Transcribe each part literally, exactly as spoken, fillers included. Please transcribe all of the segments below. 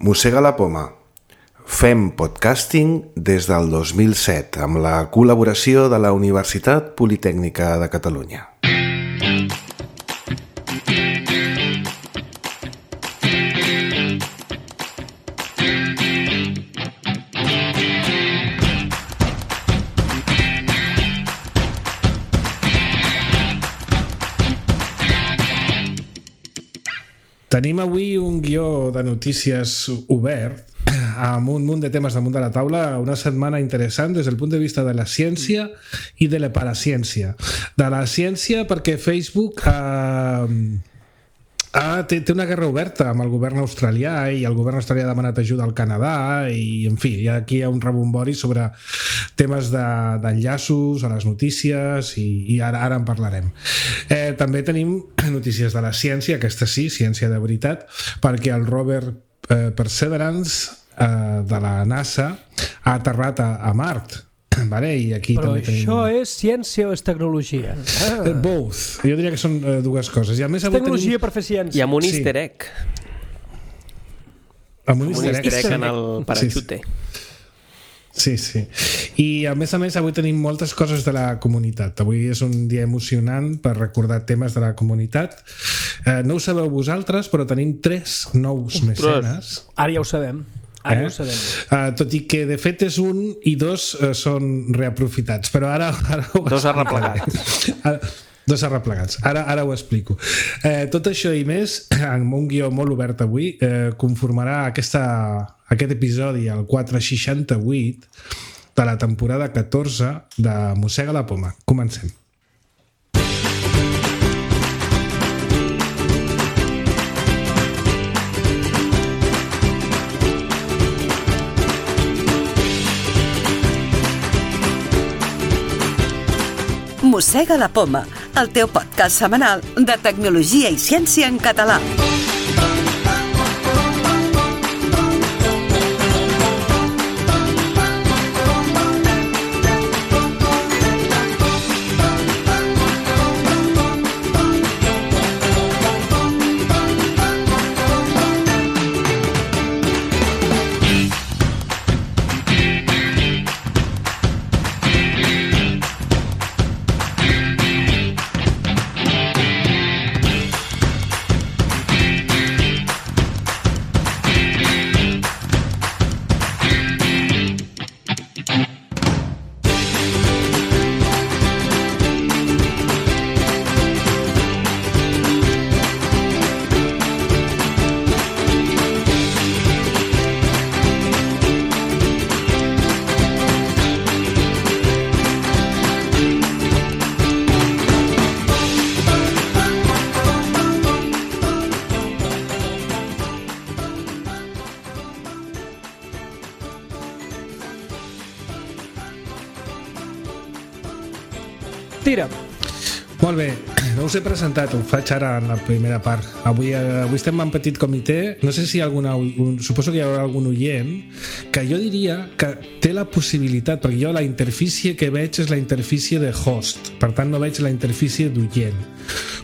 Mossega la poma. Fem podcasting des del dos mil set amb la col·laboració de la Universitat Politècnica de Catalunya. Tenim avui un guió de notícies obert amb un munt de temes damunt de la taula, una setmana interessant des del punt de vista de la ciència i de la paraciència. De la ciència perquè Facebook eh, ah, té, té una guerra oberta amb el govern australià i el govern australià ha demanat ajuda al Canadà i, en fi, aquí hi ha un rebombori sobre temes d'enllaços de, a les notícies i, i ara, ara en parlarem. Eh, també tenim notícies de la ciència, aquesta sí, ciència de veritat, perquè el rover eh, Perseverance eh, de la NASA ha aterrat a, a Mart. Vale, i aquí però també tenim... això és ciència o és tecnologia? Ah. Both. Jo diria que són uh, dues coses. I a més, tecnologia tenim... per fer ciència. I amb un sí. easter egg. Amb un easter egg, easter egg en el parachute. Sí, sí. I a més a més avui tenim moltes coses de la comunitat. Avui és un dia emocionant per recordar temes de la comunitat. Eh, no ho sabeu vosaltres, però tenim tres nous mecenes. Ara ja ho sabem. Ara eh? ho sabem. Uh, tot i que de fet és un i dos uh, són reaprofitats, però ara... ara dos arreplegats. Ara, dos arreplegats. Ara, ara ho explico. Eh, tot això i més, amb un guió molt obert avui, eh, conformarà aquesta, aquest episodi, el quatre seixanta-vuit de la temporada catorze de Mossega la poma. Comencem. Mossega la poma, el teu podcast setmanal de tecnologia i ciència en català. Tira. Molt bé, no us he presentat, ho faig ara en la primera part. Avui, avui estem en petit comitè, no sé si alguna, un, suposo que hi haurà algun oient que jo diria que té la possibilitat, perquè jo la interfície que veig és la interfície de host, per tant no veig la interfície d'oient,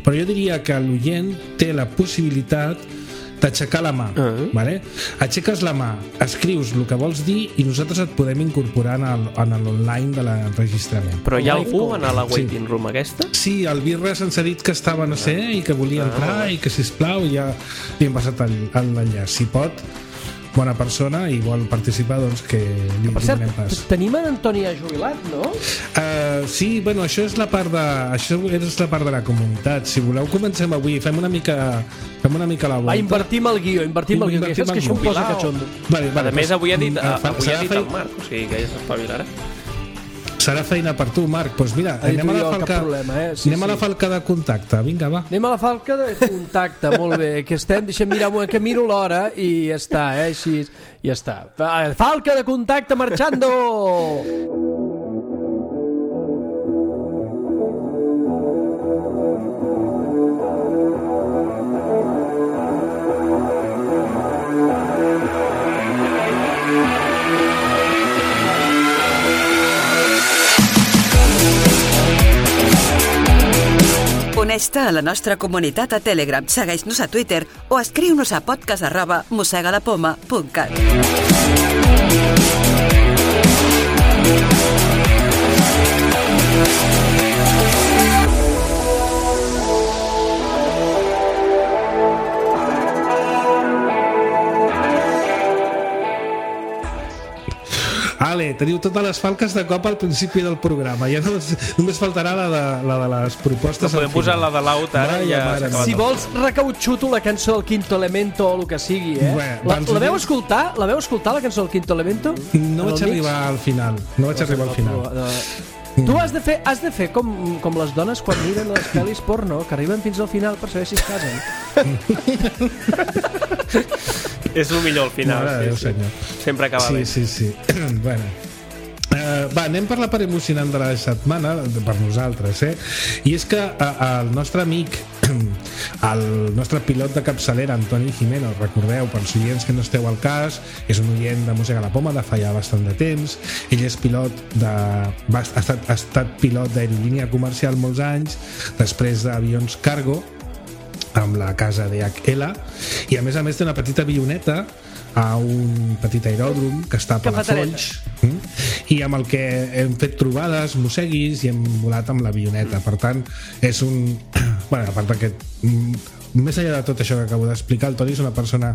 però jo diria que l'oient té la possibilitat d'aixecar la mà, uh-huh. vale? Aixeques la mà, escrius el que vols dir i nosaltres et podem incorporar en l'online de l'enregistrament. Però hi ha algú en la waiting sí. room aquesta? Sí, el Birra se'ns ha dit que estava no sé i que volia entrar uh-huh. i que sisplau ja li hem passat l'enllaç. Si pot, bona persona i vol participar, doncs que li per cert, donem pas. Tenim en Antoni ja jubilat, no? Uh, sí, bueno, això és la part de això és la part de la comunitat. Si voleu comencem avui, fem una mica fem una mica la volta. Va, invertim el guió, invertim el guió, que saps que això em posa catxondo. Vale, vale, a més, avui ha dit, uh, avui ha dit el Marc, o sigui que ja s'espavilarà. Serà feina per tu, Marc. Doncs mira, anem a la falca, problema, eh? sí, anem sí. a la falca de contacte. Vinga, va. Anem a la falca de contacte, molt bé. Que estem, deixa'm mirar, que miro l'hora i ja està, eh? Així, ja està. Falca de contacte marxando! Vés-te a la nostra comunitat a Telegram, segueix-nos a Twitter o escriu-nos a podcast arroba mosegalapoma punt cat. Ale, teniu totes les falques de cop al principi del programa. Ja no, només faltarà la de, la de les propostes. No podem posar la de l'Aut ara i ja s'ha acabat. Si vols, recautxuto la cançó del Quinto Elemento o el que sigui, eh? Bé, la, la veu escoltar? La veu escoltar, la cançó del Quinto Elemento? No vaig arribar al final. No vaig arribar al final. Tu has de fer, has de fer com, com les dones quan miren les pel·lis porno, que arriben fins al final per saber si es casen. És el millor al final. Mare de Déu, sí, senyor. sí. Sempre acaba sí, bé. Sí, sí, sí. Bueno. Uh, va, anem per la part emocionant de la setmana per nosaltres, eh? I és que uh, el nostre amic el nostre pilot de capçalera Antoni Jimeno, recordeu, per als oients que no esteu al cas, és un oient de Mossega la Poma de fa ja bastant de temps. Ell és pilot de... Va, ha, estat, ha estat pilot d'aerolínia comercial molts anys, després d'avions cargo amb la casa D H L, i a més a més té una petita avioneta a un petit aeròdrom que està a Palafolls, i amb el que hem fet trobades, mosseguis, i hem volat amb l'avioneta. Per tant, és un... Bueno, a part d'aquest... Més enllà de tot això que acabo d'explicar, el Toni és una persona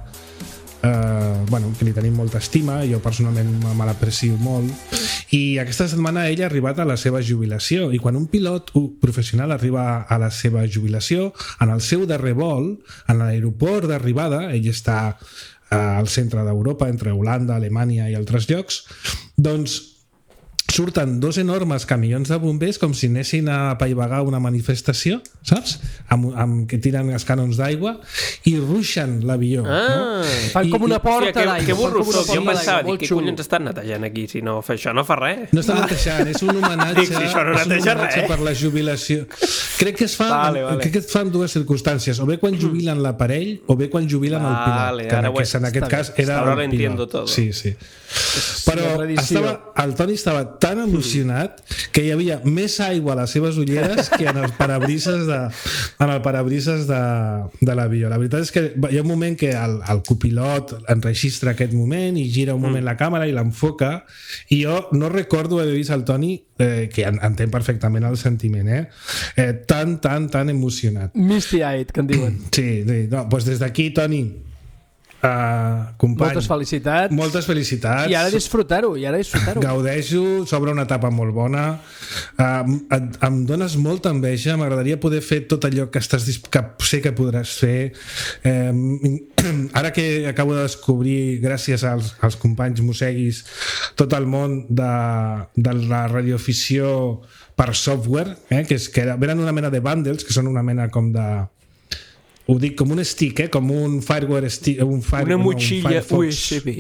eh, bueno, que li tenim molta estima, jo personalment me l'aprecio molt, i aquesta setmana ell ha arribat a la seva jubilació, i quan un pilot professional arriba a la seva jubilació, en el seu darrer vol, en l'aeroport d'arribada, ell està al centre d'Europa, entre Holanda, Alemanya i altres llocs, doncs surten dos enormes camions de bombers com si anessin a apaivagar una manifestació, saps? Amb, amb, que tiren els canons d'aigua i ruixen l'avió. Ah, no? Fan com una porta d'aigua. d'aigua. Que burro soc, jo pensava, dic, què collons estan netejant aquí? Si no fa això, no fa res. No estan netejant, és un homenatge, dic, si això no és un neteja homenatge res. per la jubilació. Crec que es fa, vale, vale. crec que es fa en dues circumstàncies, o bé quan jubilen l'aparell o bé quan jubilen vale, el pilot, que en, ara aquest, en aquest cas era ahora el lo entiendo pilot. todo. Sí, sí. Però estava, el Toni estava tan emocionat que hi havia més aigua a les seves ulleres que en els parabrises de, en el parabrises de, de l'avió. La veritat és que hi ha un moment que el, el copilot enregistra aquest moment i gira un moment la càmera i l'enfoca, i jo no recordo haver vist el Toni, eh, que entén perfectament el sentiment, eh? Eh, tan, tan, tan emocionat. Misty-eyed, que en diuen. Sí, sí. No, doncs des d'aquí, Toni, Uh, company, moltes felicitats. Moltes felicitats. I ara disfrutar-ho, i ara disfrutar-ho. Gaudeixo, s'obre una etapa molt bona. Uh, et, em dones molta enveja, m'agradaria poder fer tot allò que, estàs, que sé que podràs fer. Uh, ara que acabo de descobrir, gràcies als, als companys mosseguis, tot el món de, de la radioafició per software, eh, que, és, que eren una mena de bundles, que són una mena com de... Ho dic com un stick, eh? Com un fireware stick, un fire, una motxilla no, un U S B.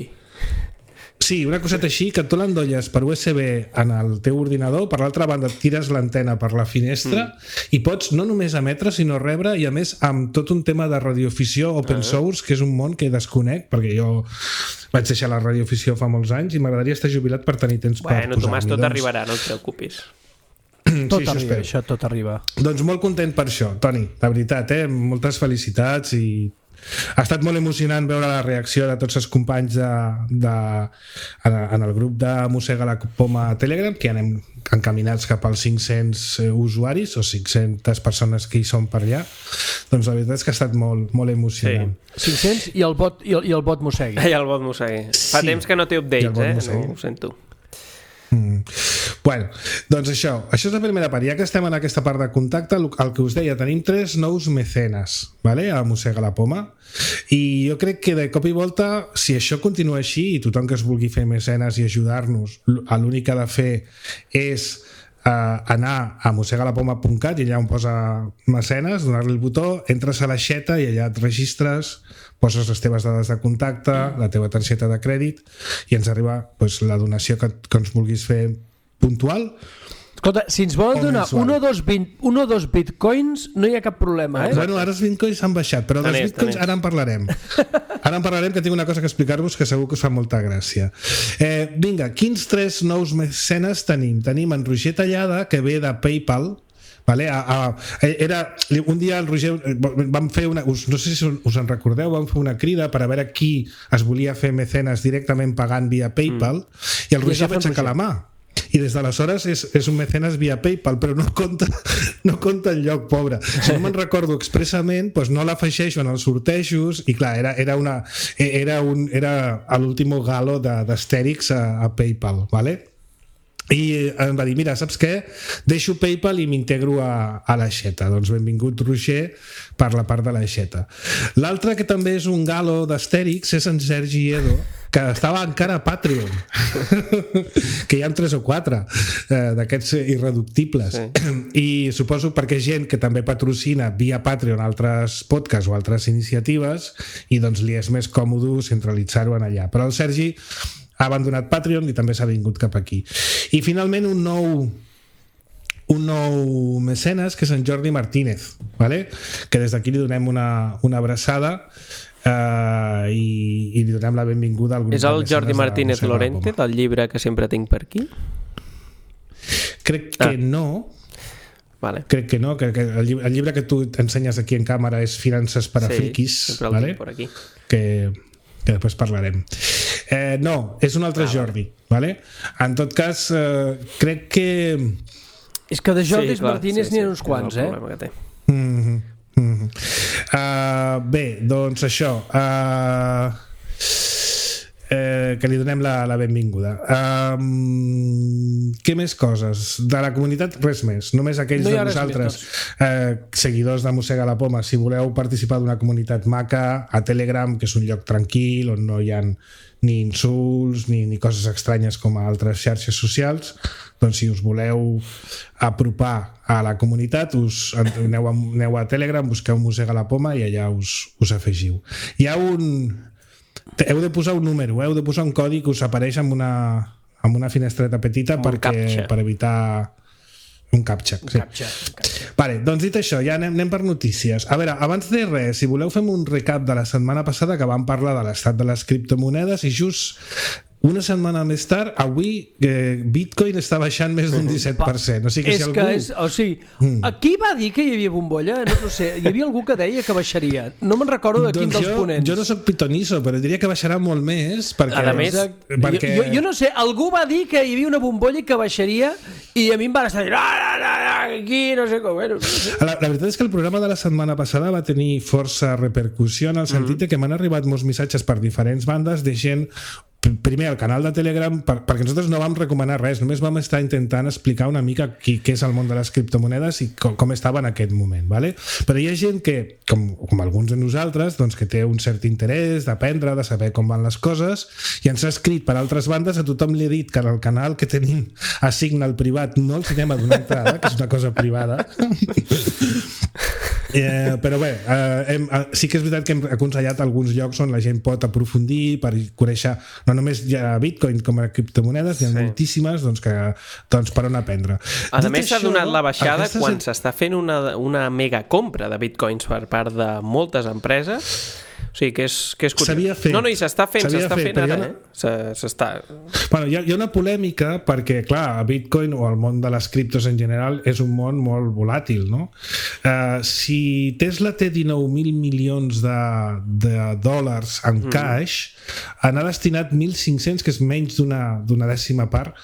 Sí, una coseta així, que tu l'endolles per U S B en el teu ordinador, per l'altra banda et tires l'antena per la finestra mm. i pots no només emetre sinó rebre, i a més amb tot un tema de radioafició open source, que és un món que desconec, perquè jo vaig deixar la radioafició fa molts anys i m'agradaria estar jubilat per tenir temps bueno, per posar-m'hi. Bueno, Tomàs, tot doncs... arribarà, no et preocupis. Tot sí, arriba, això, això tot arriba. Doncs molt content per això, Toni, de veritat, eh? Moltes felicitats, i ha estat molt emocionant veure la reacció de tots els companys de, de, en el grup de Mossega la Poma a Telegram, que anem encaminats cap als cinc-cents usuaris o cinc-centes persones que hi són per allà. Doncs la veritat és que ha estat molt, molt emocionant. Sí. cinc-cents i el bot, i el, i el bot mossegui. I el bot mossegui. Fa sí. temps que no té updates, eh? No ho sento. Mm. Bueno, doncs això això és la primera part. Ja que estem en aquesta part de contacte, el, el que us deia, tenim tres nous mecenes, vale? A Mossega la Poma, i jo crec que de cop i volta, si això continua així i tothom que es vulgui fer mecenes i ajudar-nos, l'únic que ha de fer és Uh, anar a mossegalapoma punt cat i allà on posa mecenes, donar-li el botó, entres a l'aixeta i allà et registres, poses les teves dades de contacte, la teva targeta de crèdit, i ens arriba pues, la donació que, que ens vulguis fer puntual. Escolta, si ens volen donar un o dos, un o dos bitcoins no hi ha cap problema, eh? Bueno, ara els bitcoins s'han baixat, però dels bitcoins ara en parlarem. Ara en parlarem, que tinc una cosa que explicar-vos que segur que us fa molta gràcia. Eh, vinga, quins tres nous mecenes tenim? Tenim en Roger Tallada, que ve de PayPal, Vale? A, a, era, un dia el Roger vam fer una, us, no sé si us en recordeu, vam fer una crida per a veure qui es volia fer mecenes directament pagant via PayPal mm. i el Roger va aixecar la mà i des d'aleshores és, és un mecenes via PayPal, però no compta no compta el lloc, pobre. Si no me'n recordo expressament, doncs no l'afegeixo en els sortejos i clar, era, era, una, era, un, era l'último galo d'Astèrix a, a PayPal, vale? I em va dir, mira, saps què? Deixo PayPal i m'integro a, a l'Aixeta. Doncs benvingut, Roger, per la part de l'Aixeta. L'altre que també és un galo d'Astèrix és en Sergi Edo, que estava encara a Patreon, que hi ha tres o quatre eh, d'aquests irreductibles. Sí. I suposo perquè gent que també patrocina via Patreon altres podcasts o altres iniciatives i doncs li és més còmode centralitzar-ho en allà. Però el Sergi ha abandonat Patreon i també s'ha vingut cap aquí. I finalment un nou un nou mecenes que és en Jordi Martínez, ¿vale? Que des d'aquí li donem una, una abraçada uh, i, i li donem la benvinguda al grup. És el Jordi Martínez Lorente del llibre que sempre tinc per aquí? Crec que ah. no. Vale. Crec que no, que, que el, llibre, el llibre que tu ensenyes aquí en càmera és Finances per a sí, friquis, sempre el ¿vale? tinc per aquí. Que, que després parlarem. Eh, no, és un altre ah, Jordi, ¿vale? En tot cas, eh, crec que... És que de Jordis sí, Martínez sí, n'hi ha sí, uns quants, eh? Que té. Mm-hmm, mm-hmm. Uh, bé, doncs això... Uh, eh, que li donem la, la benvinguda. Um, què més coses? De la comunitat, res més. Només aquells no de vosaltres, eh, seguidors de Mossega la Poma, si voleu participar d'una comunitat maca, a Telegram, que és un lloc tranquil, on no hi ha ni insults ni, ni coses estranyes com a altres xarxes socials, doncs si us voleu apropar a la comunitat, us aneu a, aneu a Telegram, busqueu Mossega la Poma i allà us, us afegiu. Hi ha un... Heu de posar un número, heu de posar un codi que us apareix amb una, amb una finestreta petita un perquè, captcha. per evitar un captcha. Un sí. captcha, un captcha. Vale, doncs dit això, ja anem, anem per notícies. A veure, abans de res, si voleu fem un recap de la setmana passada que vam parlar de l'estat de les criptomonedes i just una setmana més tard, avui eh, Bitcoin està baixant més d'un disset per cent. O sigui que és si algú... que és, o sigui, mm. qui va dir que hi havia bombolla? No, no sé, hi havia algú que deia que baixaria. No me'n recordo de quin doncs dels jo, ponents. Jo no soc pitonisso, però diria que baixarà molt més perquè... A més, perquè... jo, jo no sé, algú va dir que hi havia una bombolla que baixaria i a mi em van estar dient ah, no, no, aquí no sé com... Bueno, no sé. La, la veritat és que el programa de la setmana passada va tenir força repercussió en el sentit mm. que m'han arribat molts missatges per diferents bandes de gent primer al canal de Telegram per, perquè nosaltres no vam recomanar res, només vam estar intentant explicar una mica qui, què és el món de les criptomonedes i com, com estava en aquest moment, ¿vale? Però hi ha gent que, com, com alguns de nosaltres, doncs, que té un cert interès d'aprendre, de saber com van les coses i ens ha escrit per altres bandes, a tothom li he dit que en el canal que tenim a Signal privat no els anem a donar entrada, que és una cosa privada. Eh, però bé, eh, hem, eh, sí que és veritat que hem aconsellat alguns llocs on la gent pot aprofundir per conèixer no només ja Bitcoin com a criptomonedes, hi ha sí. moltíssimes doncs, que, doncs, per on aprendre. A Dit més s'ha donat la baixada aquestes... quan s'està fent una, una mega compra de Bitcoins per part de moltes empreses. O sigui, que és, que és s'havia fet. No, no, i s'està fent, s'està fent ara, una... eh? S'està... Bueno, hi ha, hi ha una polèmica perquè, clar, Bitcoin o el món de les criptos en general és un món molt volàtil, no? Uh, si Tesla té dinou mil milions de, de dòlars en mm. cash, n'ha destinat mil cinc-cents, que és menys d'una d'una dècima part,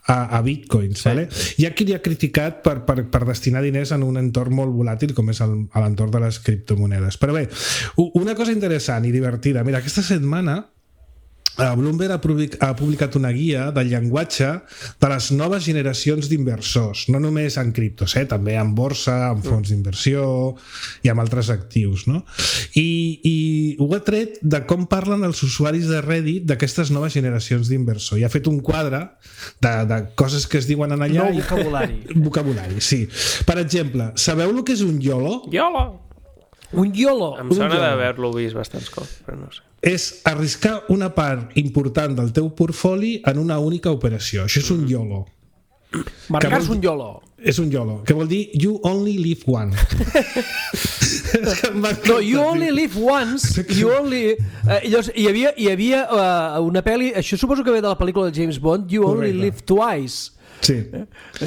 a, a Bitcoins, sí. Vale? Hi ha qui li ha criticat per, per, per destinar diners en un entorn molt volàtil com és el, l'entorn de les criptomonedes. Però bé, una cosa interessant i divertida. Mira, aquesta setmana Bloomberg ha publicat, ha publicat una guia del llenguatge de les noves generacions d'inversors, no només en criptos, eh? També en borsa, en fons d'inversió i amb altres actius, no? I, i ho ha tret de com parlen els usuaris de Reddit d'aquestes noves generacions d'inversor i ha fet un quadre de, de coses que es diuen en allà. Nou vocabulari. I, vocabulari, sí. Per exemple, sabeu el que és un YOLO? YOLO! Un YOLO. Em sona d'haver-lo vist bastants cops, però no sé. És arriscar una part important del teu portfoli en una única operació. Això és un YOLO. Marcar-se un YOLO. És un YOLO, que vol dir You Only Live One. No, You Only Live Once. You only... Eh, llavors, hi havia, hi havia uh, una pel·li, això suposo que ve de la pel·lícula de James Bond, You Only Correcte. Live Twice. Sí.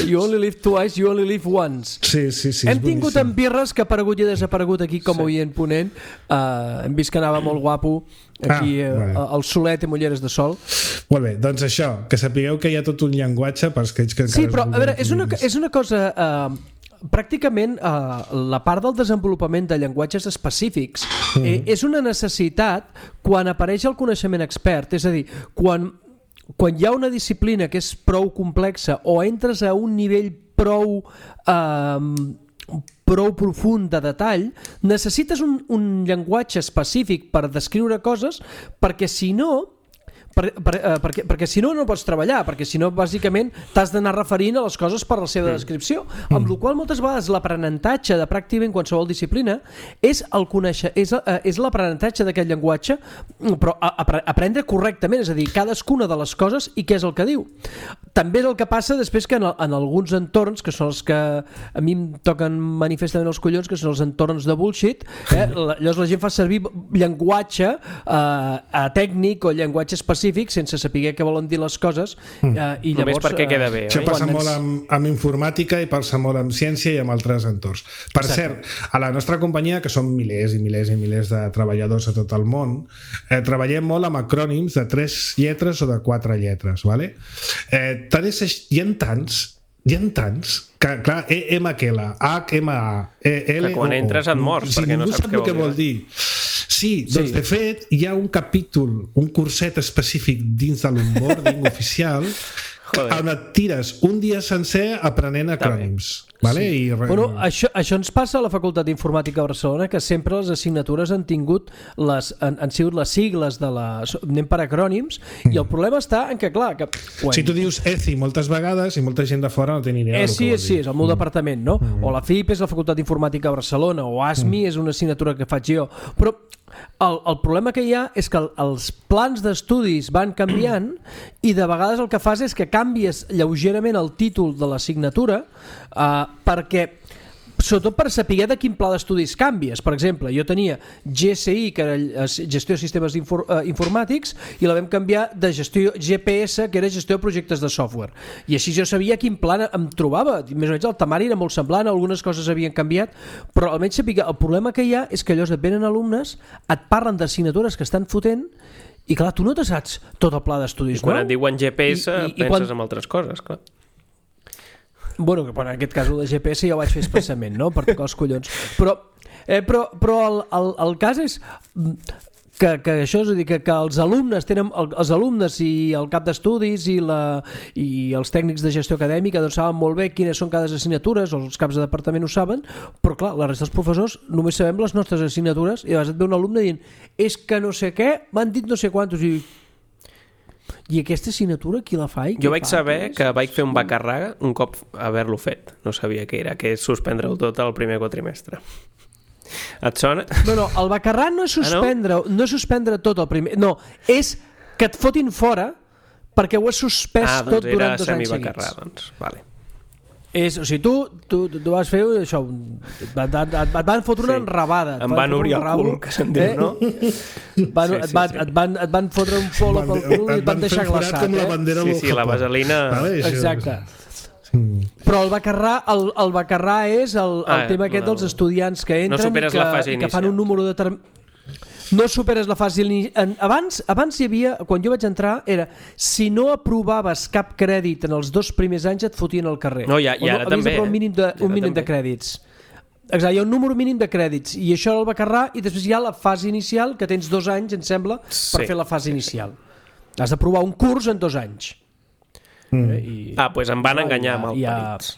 You only live twice, you only live once. Sí, sí, sí. Hem tingut en Birres, que ha aparegut i ha desaparegut aquí com a oient ponent. Uh, hem vist que anava molt guapo aquí ah, vale. uh, al solet i mulleres de sol. Molt bé, doncs això, que sapigueu que hi ha tot un llenguatge per aquells que encara... Sí, però a veure, és una, és una cosa... Uh, pràcticament eh, la part del desenvolupament de llenguatges específics eh, és una necessitat quan apareix el coneixement expert, és a dir, quan, quan hi ha una disciplina que és prou complexa o entres a un nivell prou eh, prou profund de detall, necessites un, un llenguatge específic per descriure coses, perquè si no Per, per, eh, perquè, perquè si no no pots treballar, perquè si no bàsicament t'has d'anar referint a les coses per la seva descripció, amb la qual moltes vegades l'aprenentatge de pràcticament qualsevol disciplina és el conèixer, és, eh, és l'aprenentatge d'aquest llenguatge, però a, a, aprendre correctament, és a dir, cadascuna de les coses i què és el que diu. També és el que passa després que en, en alguns entorns, que són els que a mi em toquen manifestament els collons, que són els entorns de bullshit, eh, llavors la gent fa servir llenguatge eh, tècnic o llenguatge específic sense saber què volen dir les coses eh, i llavors... Només perquè queda bé. Això oi? passa molt amb, amb informàtica i passa molt amb ciència i amb altres entorns. Per Exacte. Cert, a la nostra companyia, que són milers i milers i milers de treballadors a tot el món, eh, treballem molt amb acrònims de tres lletres o de quatre lletres, vale? Eh, tant és, hi ha tants hi ha tants que, clar, E M Q L, H M A, E L O O, que quan entres et mors si perquè no saps què vol dir. Sí, doncs sí. De fet hi ha un capítol, un curset específic dins de l'onboarding oficial on et tires un dia sencer aprenent acrònims. Vale? Sí. I... Bueno, això, això ens passa a la Facultat d'Informàtica de Barcelona, que sempre les assignatures han tingut les, han, han sigut les sigles de la... anem per acrònims, mm. i el problema està en que, clar... Que, quan... Si tu dius E C I moltes vegades i molta gent de fora no té ni idea E C I, del que vol dir. sí, és el meu mm. departament, no? Mm. O la F I P és la Facultat d'Informàtica de Barcelona, o A S M I mm. és una assignatura que faig jo. Però el, el problema que hi ha és que el, els plans d'estudis van canviant i de vegades el que fas és que canvies lleugerament el títol de l'assignatura eh, perquè sobretot per saber de quin pla d'estudis canvies. Per exemple, jo tenia G S I, que era gestió de sistemes infor, uh, informàtics, i la vam canviar de gestió G P S, que era gestió de projectes de software. I així jo sabia quin pla em trobava. Més o menys el temari era molt semblant, algunes coses havien canviat, però almenys sabia. El problema que hi ha és que allò et venen alumnes, et parlen d'assignatures que estan fotent, i clar, tu no te saps tot el pla d'estudis. I quan no? et diuen G P S I, i, penses i quan... en altres coses, clar. Bueno, que en aquest cas el de G P S ja ho vaig fer expressament, no? Per tocar els collons. Però, eh, però, però el, el, el cas és que, que això, és a dir, que, que els alumnes tenen, els alumnes i el cap d'estudis i, la, i els tècnics de gestió acadèmica doncs saben molt bé quines són cada assignatures, o els caps de departament ho saben, però clar, la resta dels professors només sabem les nostres assignatures i llavors et ve un alumne dient és que no sé què, m'han dit no sé quantos i I aquesta assignatura qui la fa? I jo vaig fa? saber que vaig fer un bacarraga un cop haver-lo fet. No sabia què era, que és suspendre-ho tot al primer quatrimestre. Et sona? No, no, el bacarrà no és suspendre, ah, no? no és suspendre tot el primer... No, és que et fotin fora perquè ho has suspès ah, tot durant dos anys seguits. Ah, doncs era semibacarrà, doncs, vale. És, o sigui, tu, tu, tu vas fer això, et, et, et, et van fotre una sí. enrabada. Em van obrir el cul, que se'n diu, eh? no? Van, sí, sí, et, van, sí. et, van, et van fotre un polo pel cul i et van deixar glaçat. Com la bandera eh? Sí, sí, la vaselina... Vale, exacte. Sí. Però el bacarrà, el, el bacarrà és el, el ah, tema aquest no, dels estudiants que entren no i, que, i que fan un número determinat. No superes la fase inicial. Abans, abans hi havia, quan jo vaig entrar, era si no aprovaves cap crèdit en els dos primers anys et fotien al carrer. No, i, i ara no, també. Un mínim de, un mínim de crèdits. Exacte, hi ha un número mínim de crèdits i això era el bacarrà i després hi ha la fase inicial que tens dos anys, em sembla, sí. per fer la fase inicial. Has d'aprovar un curs en dos anys. Mm. Eh, i... Ah, doncs pues em van enganyar amb el perits.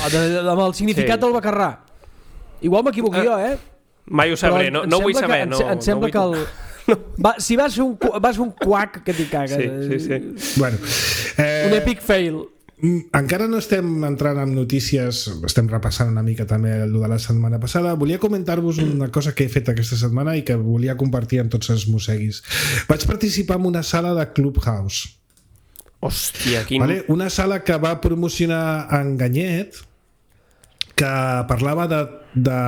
Amb el significat sí. del bacarrà. Igual m'equivoco ah. jo, eh? Mai ho sabré, no, no vull saber. Que, no, em sembla no que el... No. Va, si vas fer un, vas fer un quac que t'hi cagues. Sí, sí, sí. Bueno, eh, un epic fail. Encara no estem entrant en notícies, estem repassant una mica també el de la setmana passada. Volia comentar-vos una cosa que he fet aquesta setmana i que volia compartir amb tots els mosseguis. Vaig participar en una sala de Clubhouse. Hòstia, quin... Vale? Una sala que va promocionar en Ganyet, que parlava de... de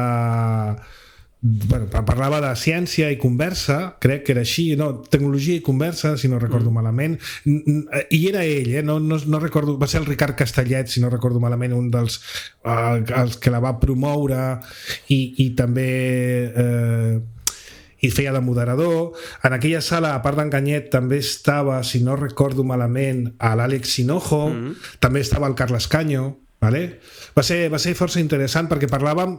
bueno, parlava de ciència i conversa, crec que era així, no, tecnologia i conversa, si no recordo mm. malament, i era ell, eh? no, no, no recordo, va ser el Ricard Castellet, si no recordo malament, un dels uh, els que la va promoure i, i també eh, i feia de moderador. En aquella sala, a part d'Enganyet, també estava, si no recordo malament, a l'Àlex Hinojo, mm. també estava el Carles Caño, vale? va, ser, va ser força interessant perquè parlàvem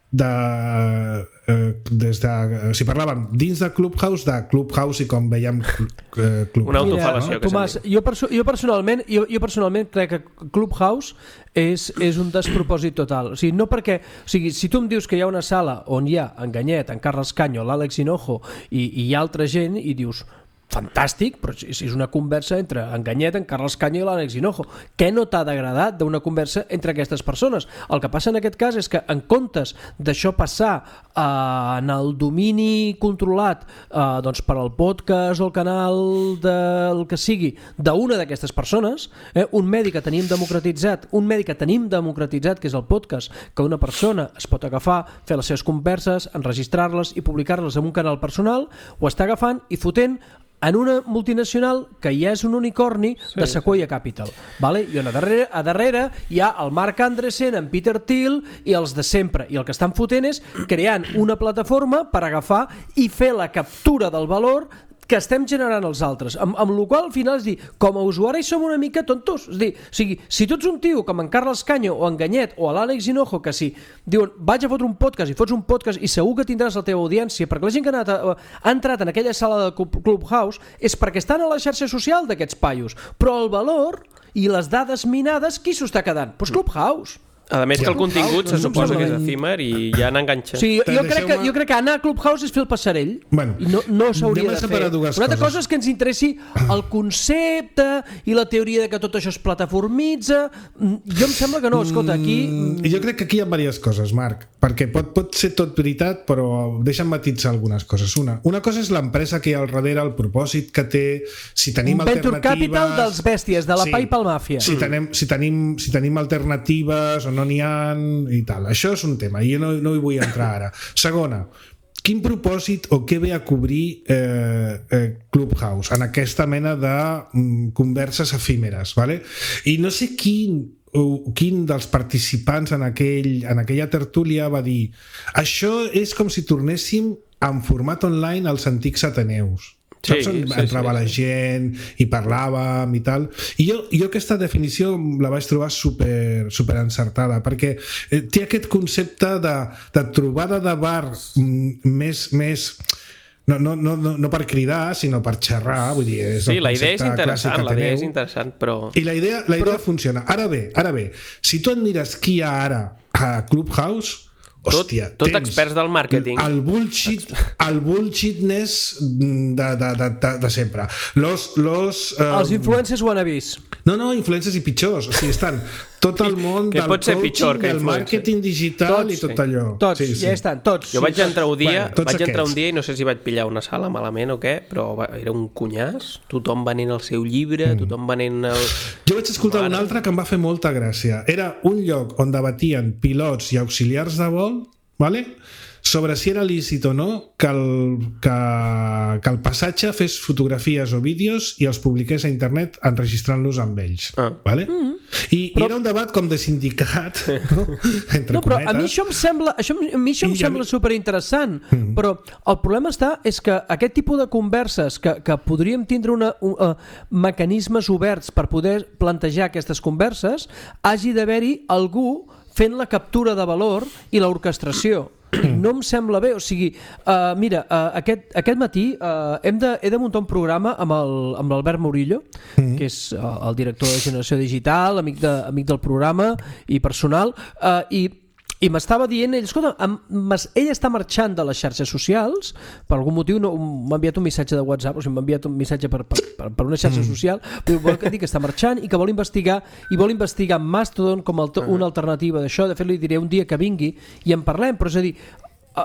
de, eh, des de, o sigui, parlàvem dins de Clubhouse, de Clubhouse i com veiem eh, Clubhouse. Una autofal·lació. Mira, Tomàs, jo, perso jo, personalment, jo, jo personalment crec que Clubhouse és, és un despropòsit total. O sigui, no perquè, o sigui, si tu em dius que hi ha una sala on hi ha Enganyet, en Carles Caño, l'Àlex Hinojo i, i hi ha altra gent i dius fantàstic, però és una conversa entre Enganyet, en Carles Caño i l'Àlex Hinojo. Què no t'ha d'agradat d'una conversa entre aquestes persones? El que passa en aquest cas és que en comptes d'això passar eh, en el domini controlat eh, doncs per al podcast o el canal del que sigui d'una d'aquestes persones, eh, un medi que tenim democratitzat, un medi que tenim democratitzat, que és el podcast, que una persona es pot agafar, fer les seves converses, enregistrar-les i publicar-les en un canal personal, ho està agafant i fotent en una multinacional que ja és un unicorni sí, de Sequoia sí. Capital, vale? I on a darrere, a darrere hi ha el Marc Andresen, en Peter Thiel i els de sempre, i el que estan fotent és creant una plataforma per agafar i fer la captura del valor que estem generant els altres, amb, amb la qual al final és dir, com a usuari som una mica tontos, és dir, o sigui, si tu ets un tio com en Carles Caño o en Enganyet o l'Àlex Hinojo, que si diuen vaig a fotre un podcast i fots un podcast i segur que tindràs la teva audiència, perquè la gent que ha, anat a, ha entrat en aquella sala de Clubhouse és perquè estan a la xarxa social d'aquests paios, però el valor i les dades minades, qui s'ho està quedant? Doncs Clubhouse. A més que el contingut se suposa que és efímer i ja han enganxat. Sí, jo, crec que, jo crec que anar a Clubhouse és fer el passarell bueno, i no, no s'hauria de fer. Una altra cosa és que ens interessi el concepte i la teoria de que tot això es plataformitza. Jo em sembla que no, escolta, aquí... Mm, jo crec que aquí hi ha diverses coses, Marc, perquè pot, pot ser tot veritat, però deixa'm matitzar algunes coses. Una, una cosa és l'empresa que hi ha al darrere, el propòsit que té, si tenim un alternatives... Venture Capital dels bèsties, de la sí, PayPal Màfia. Si tenim, si, tenim, si tenim alternatives o no n'hi ha i tal. Això és un tema i jo no, no hi vull entrar ara. Segona, quin propòsit o què ve a cobrir eh, eh, Clubhouse en aquesta mena de mm, converses efímeres, vale? I no sé quin quin dels participants en, aquell, en aquella tertúlia va dir això és com si tornéssim en format online als antics Ateneus. Saps sí, on sí, entrava sí, la gent i parlàvem i tal, i jo, jo aquesta definició la vaig trobar super, super encertada perquè eh, té aquest concepte de, de trobada de bar mm, més, més no, no, no, no per cridar sinó per xerrar, vull dir, és sí, la idea és interessant, la idea és interessant però... i la idea, la idea però... funciona. Ara bé, ara bé, si tu et mires qui hi ha ara a Clubhouse, hòstia, tot, tot experts del màrqueting, el bullshit, el bullshitness de, de, de, de, de sempre los, los, um... els influencers wannabes no, no, influencers i pitjors, o sigui, estan tot el món que del coaching, pitjor que del màrqueting digital tots, i tot allò tots, sí, sí. ja estan, tots jo vaig entrar un dia, bueno, vaig entrar un dia i no sé si vaig pillar una sala malament o què, però era un cunyàs, tothom venent el seu llibre, mm. tothom venent el... Jo vaig escoltar un altre que em va fer molta gràcia, era un lloc on debatien pilots i auxiliars de vol, vale? Sobre si era lícit o no que el, que, que el passatge fes fotografies o vídeos i els publiqués a internet enregistrant-los amb ells, ah. vale? Mm-hmm. I, però... i era un debat com de sindicat no? entre no, però cometes. A mi això em sembla, això, a mi això em sembla mi... superinteressant, mm. però el problema està és que aquest tipus de converses que, que podríem tindre una, un, uh, mecanismes oberts per poder plantejar aquestes converses, hagi d'haver-hi algú fent la captura de valor i l'orquestració. No em sembla bé, o sigui, uh, mira, uh, aquest, aquest matí uh, hem de, he de muntar un programa amb l'Albert Murillo, mm-hmm. que és uh, el director de Generació Digital, amic, de, amic del programa i personal, uh, i I m'estava dient, ell, escolta, ell està marxant de les xarxes socials, per algun motiu no, m'ha enviat un missatge de WhatsApp, o sigui, m'ha enviat un missatge per, per, per, per una xarxa social, però vol dir que està marxant i que vol investigar, i vol investigar Mastodon com a una alternativa d'això. De fet, li diré un dia que vingui i en parlem, però és a dir,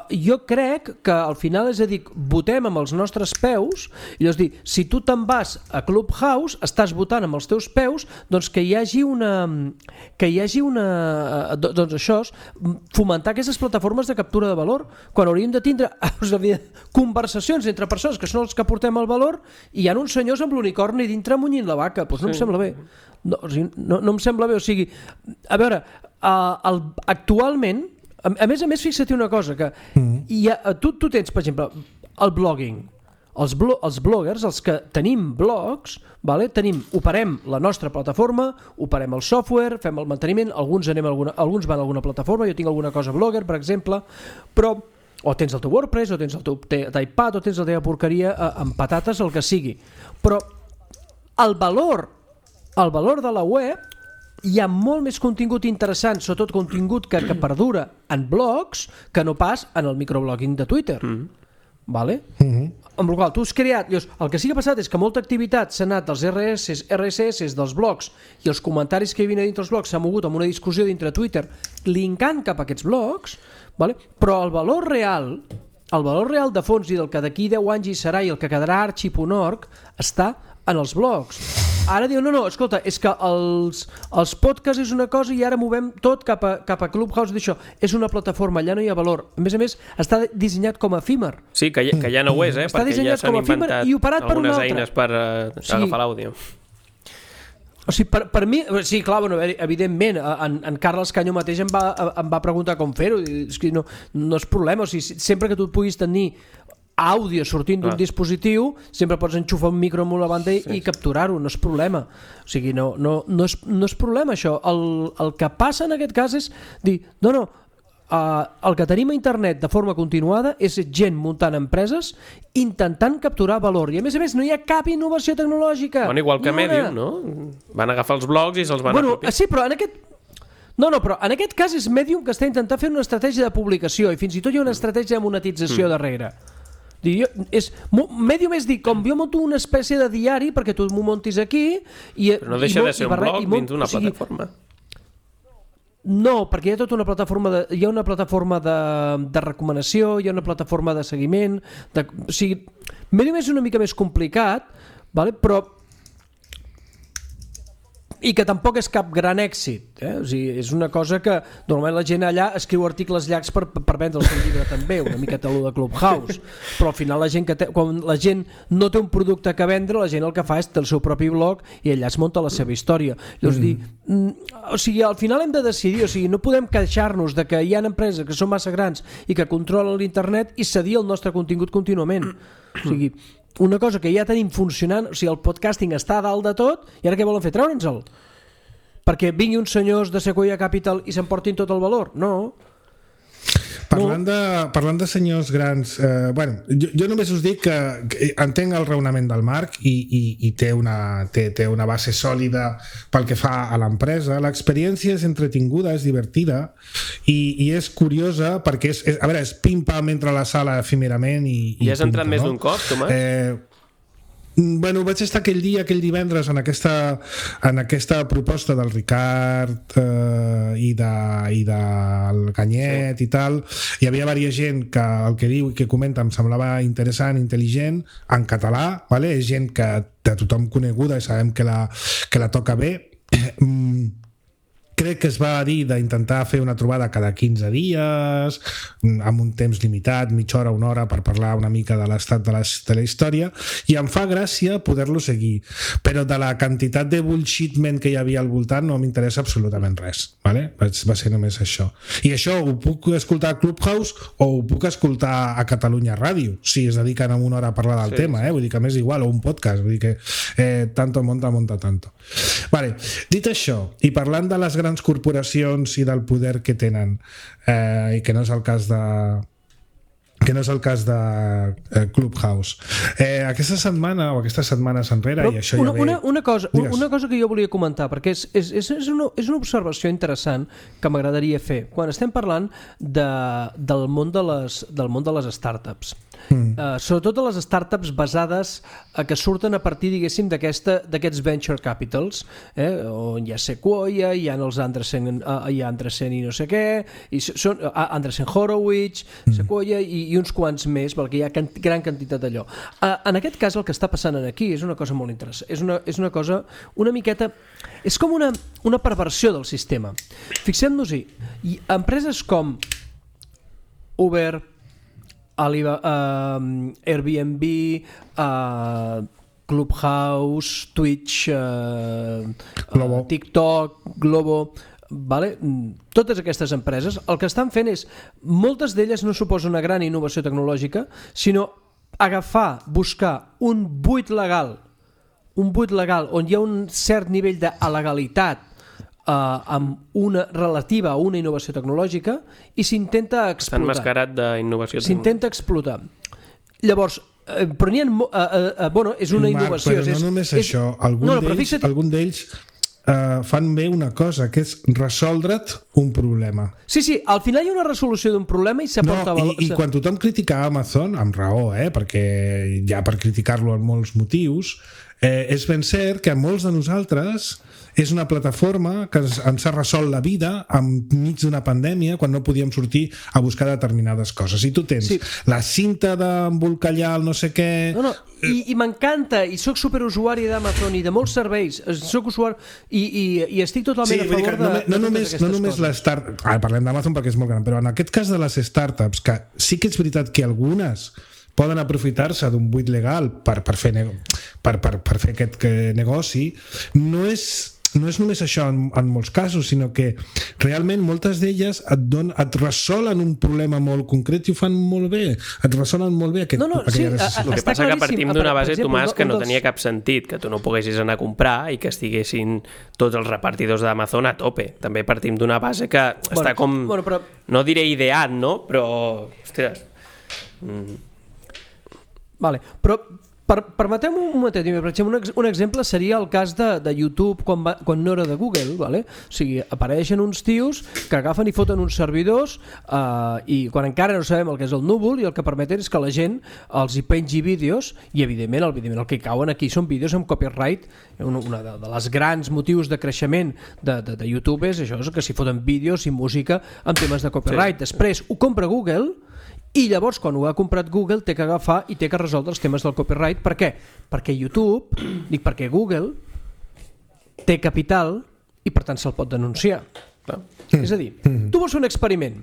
jo crec que al final, és a dir, votem amb els nostres peus, i és a dir, si tu te'n vas a Clubhouse, estàs votant amb els teus peus, doncs que hi hagi una que hi hagi una doncs això, fomentar aquestes plataformes de captura de valor, quan hauríem de tindre conversacions entre persones que són els que portem el valor, i hi ha uns senyors amb l'unicorni dintre munyint la vaca, doncs no em sembla bé. No, no, no em sembla bé, o sigui, a veure, uh, el, actualment, a, a més a més, fixa't una cosa, que mm. hi ha, tu, tu tens, per exemple, el blogging, els, blo, els bloggers, els que tenim blogs, vale? Tenim, operem la nostra plataforma, operem el software, fem el manteniment, alguns, anem a alguna, alguns van a alguna plataforma, jo tinc alguna cosa blogger, per exemple, però o tens el teu WordPress, o tens el teu iPad, o tens la teva porqueria eh, amb patates, el que sigui, però el valor el valor de la web, hi ha molt més contingut interessant, sobretot contingut que, que perdura en blogs, que no pas en el microblogging de Twitter. Mm. Vale? Mm-hmm. Amb la qual tu has creat, llavors, el que sí que ha passat és que molta activitat s'ha anat dels R S S, R S S dels blogs, i els comentaris que hi havia dintre els blogs s'ha mogut amb una discussió dintre Twitter linkant cap a aquests blogs, vale? Però el valor real, el valor real de fons i del que d'aquí deu anys hi serà i el que quedarà arxi punt org està en els blogs. Ara diu, no, no, escolta, és que els, els podcasts és una cosa i ara movem tot cap a, cap a Clubhouse d'això. És una plataforma, allà no hi ha valor. A més a més, està dissenyat com a efímer. Sí, que, que ja no ho és, eh? Està perquè ja s'han inventat algunes per eines per uh, sí. agafar l'àudio. O sigui, per, per mi, sí, clar, bueno, evidentment, en, en Carles Canyo mateix em va, em va preguntar com fer-ho. És que no, no és problema, o sigui, sempre que tu puguis tenir àudio sortint d'un ah. dispositiu, sempre pots enxufar un micro amb una banda i, sí. i capturar-ho, no és problema. O sigui, no, no, no, és, no és problema això. El, el que passa en aquest cas és dir, no, no, uh, el que tenim a internet de forma continuada és gent muntant empreses intentant capturar valor, i a més a més no hi ha cap innovació tecnològica. Bueno, igual que Medium, no? Van agafar els blogs i se'ls van bueno, apropiar. Sí, però en aquest No, no, però en aquest cas és Medium que està intentant fer una estratègia de publicació i fins i tot hi ha una estratègia de monetització mm. darrere. Jo, és, Medium és dir, com jo monto una espècie de diari perquè tu m'ho montis aquí i, però no deixa i, de ser un blog dins d'una o sigui, plataforma. No, perquè hi ha tota una plataforma de, hi ha una plataforma de, de recomanació, hi ha una plataforma de seguiment de, o sigui, Medium és una mica més complicat, vale? Però i que tampoc és cap gran èxit, eh? O sigui, és una cosa que normalment la gent allà escriu articles llargs per, per vendre el seu llibre també, una miqueta allò de Clubhouse, però al final la gent que té, quan la gent no té un producte que vendre, la gent el que fa és té el seu propi blog i allà es munta la seva història. Llavors mm. dir, o sigui, al final hem de decidir, o sigui, no podem queixar-nos de que hi ha empreses que són massa grans i que controlen l'internet i cedir el nostre contingut contínuament. O sigui, una cosa que ja tenim funcionant, o sigui, el podcasting està a dalt de tot i ara què volen fer? Treure'ns-el? Perquè vinguin uns senyors de Sequoia Capital i s'emportin tot el valor? No. Parlant de, parlant de senyors grans, eh, bueno, jo, jo només us dic que, que entenc el raonament del Marc i, i, i té, una, té, té una base sòlida pel que fa a l'empresa. L'experiència és entretinguda, és divertida i, i és curiosa perquè és, és, a veure, és pim-pam entre la sala efímerament i, i I has entrat no? més d'un cop, Tomàs? Eh, Bueno, vaig estar aquell dia, aquell divendres en aquesta, en aquesta proposta del Ricard eh, i, de, i del Canyet sí. i tal. Hi havia diversa gent que el que diu i que comenta em semblava interessant, intel·ligent, en català, vale? És gent que de tothom coneguda i sabem que la, que la toca bé. Crec que es va dir d'intentar fer una trobada cada quinze dies, amb un temps limitat, mitja hora, una hora, per parlar una mica de l'estat de la, de la història, i em fa gràcia poder-lo seguir. Però de la quantitat de bullshitment que hi havia al voltant no m'interessa absolutament res. Vale? Va ser només això. I això ho puc escoltar a Clubhouse o ho puc escoltar a Catalunya Ràdio, si es dediquen en una hora a parlar del sí. tema, eh? Vull dir que m'és igual, o un podcast, vull dir que eh, tanto monta, monta tanto. Vale. Dit això, i parlant de les grans corporacions i del poder que tenen eh, i que no és el cas de que no és el cas de eh, Clubhouse eh, aquesta setmana o aquestes setmanes enrere però i això una, ja ve... una, una, cosa, una cosa que jo volia comentar perquè és, és, és, una, és una observació interessant que m'agradaria fer quan estem parlant de, del, món de les, del món de les startups. mm. uh, sobretot a les startups basades a que surten a partir, diguéssim, d'aquests venture capitals, eh? On hi ha Sequoia, hi ha els Andreessen, uh, hi ha Andreessen i no sé què, i són uh, Andreessen Horowitz, mm. Sequoia i, i uns quants més, perquè hi ha cant gran quantitat d'allò. Uh, en aquest cas el que està passant aquí és una cosa molt interessant, és una, és una cosa una miqueta, és com una, una perversió del sistema. Fixem-nos-hi, empreses com Uber, Alibaba, uh, Airbnb, uh, Clubhouse, Twitch, uh, uh, TikTok, Globo, vale? Totes aquestes empreses el que estan fent és, moltes d'elles no suposen una gran innovació tecnològica, sinó agafar, buscar un buit legal, un buit legal on hi ha un cert nivell d'alegalitat Uh, amb una relativa a una innovació tecnològica i s'intenta explotar. Està enmascarat d'innovació tecnològica. S'intenta explotar. Llavors, eh, però n'hi ha... Uh, uh, uh, bueno, és una Marc, innovació. Però no és, només és, això. Algun no, no, d'ells fixa't... algun d'ells uh, fan bé una cosa, que és resoldre't un problema. Sí, sí, al final hi ha una resolució d'un problema i s'aporta... No, i, i quan tothom critica Amazon, amb raó, eh, perquè hi ha per criticar-lo en molts motius, eh, és ben cert que a molts de nosaltres és una plataforma que ens ha resolt la vida enmig d'una pandèmia quan no podíem sortir a buscar determinades coses. I tu tens sí. la cinta d'embolcallar el no sé què... No, no, i, i m'encanta, i sóc superusuari d'Amazon i de molts serveis, soc usuari i, i, i estic totalment sí, a favor de, no, de no només, no només les start... ah, parlem d'Amazon perquè és molt gran, però en aquest cas de les startups, que sí que és veritat que algunes poden aprofitar-se d'un buit legal per, per, fer, per, per, per fer aquest negoci, no és... no és només això en, en molts casos, sinó que realment moltes d'elles et, don, et resolen un problema molt concret i ho fan molt bé, et resolen molt bé aquest, no, no, sí, a, a, el que passa que partim d'una base, Tomàs, que no tenia cap sentit, que tu no poguessis anar a comprar i que estiguessin tots els repartidors d'Amazon a tope. També partim d'una base que bueno, està com, bueno, però... no diré ideat, no? Però, ostres... Mm. Vale, però Per, permeteu-me un momentet, per exemple, un, un exemple seria el cas de, de YouTube quan, va, quan no era de Google, vale? O sigui, apareixen uns tios que agafen i foten uns servidors eh, i quan encara no sabem el que és el núvol i el que permeten és que la gent els hi pengi vídeos i evidentment el, evidentment, el que cauen aquí són vídeos amb copyright. Una, una de, de les grans motius de creixement de, de, de YouTube és això, és que s'hi foten vídeos i música amb temes de copyright. Sí. Després ho compra Google i llavors quan ho ha comprat Google té que agafar i té que resoldre els temes del copyright. Per què? Perquè YouTube, dic perquè Google té capital i per tant se'l pot denunciar. Mm. És a dir, tu vols fer un experiment,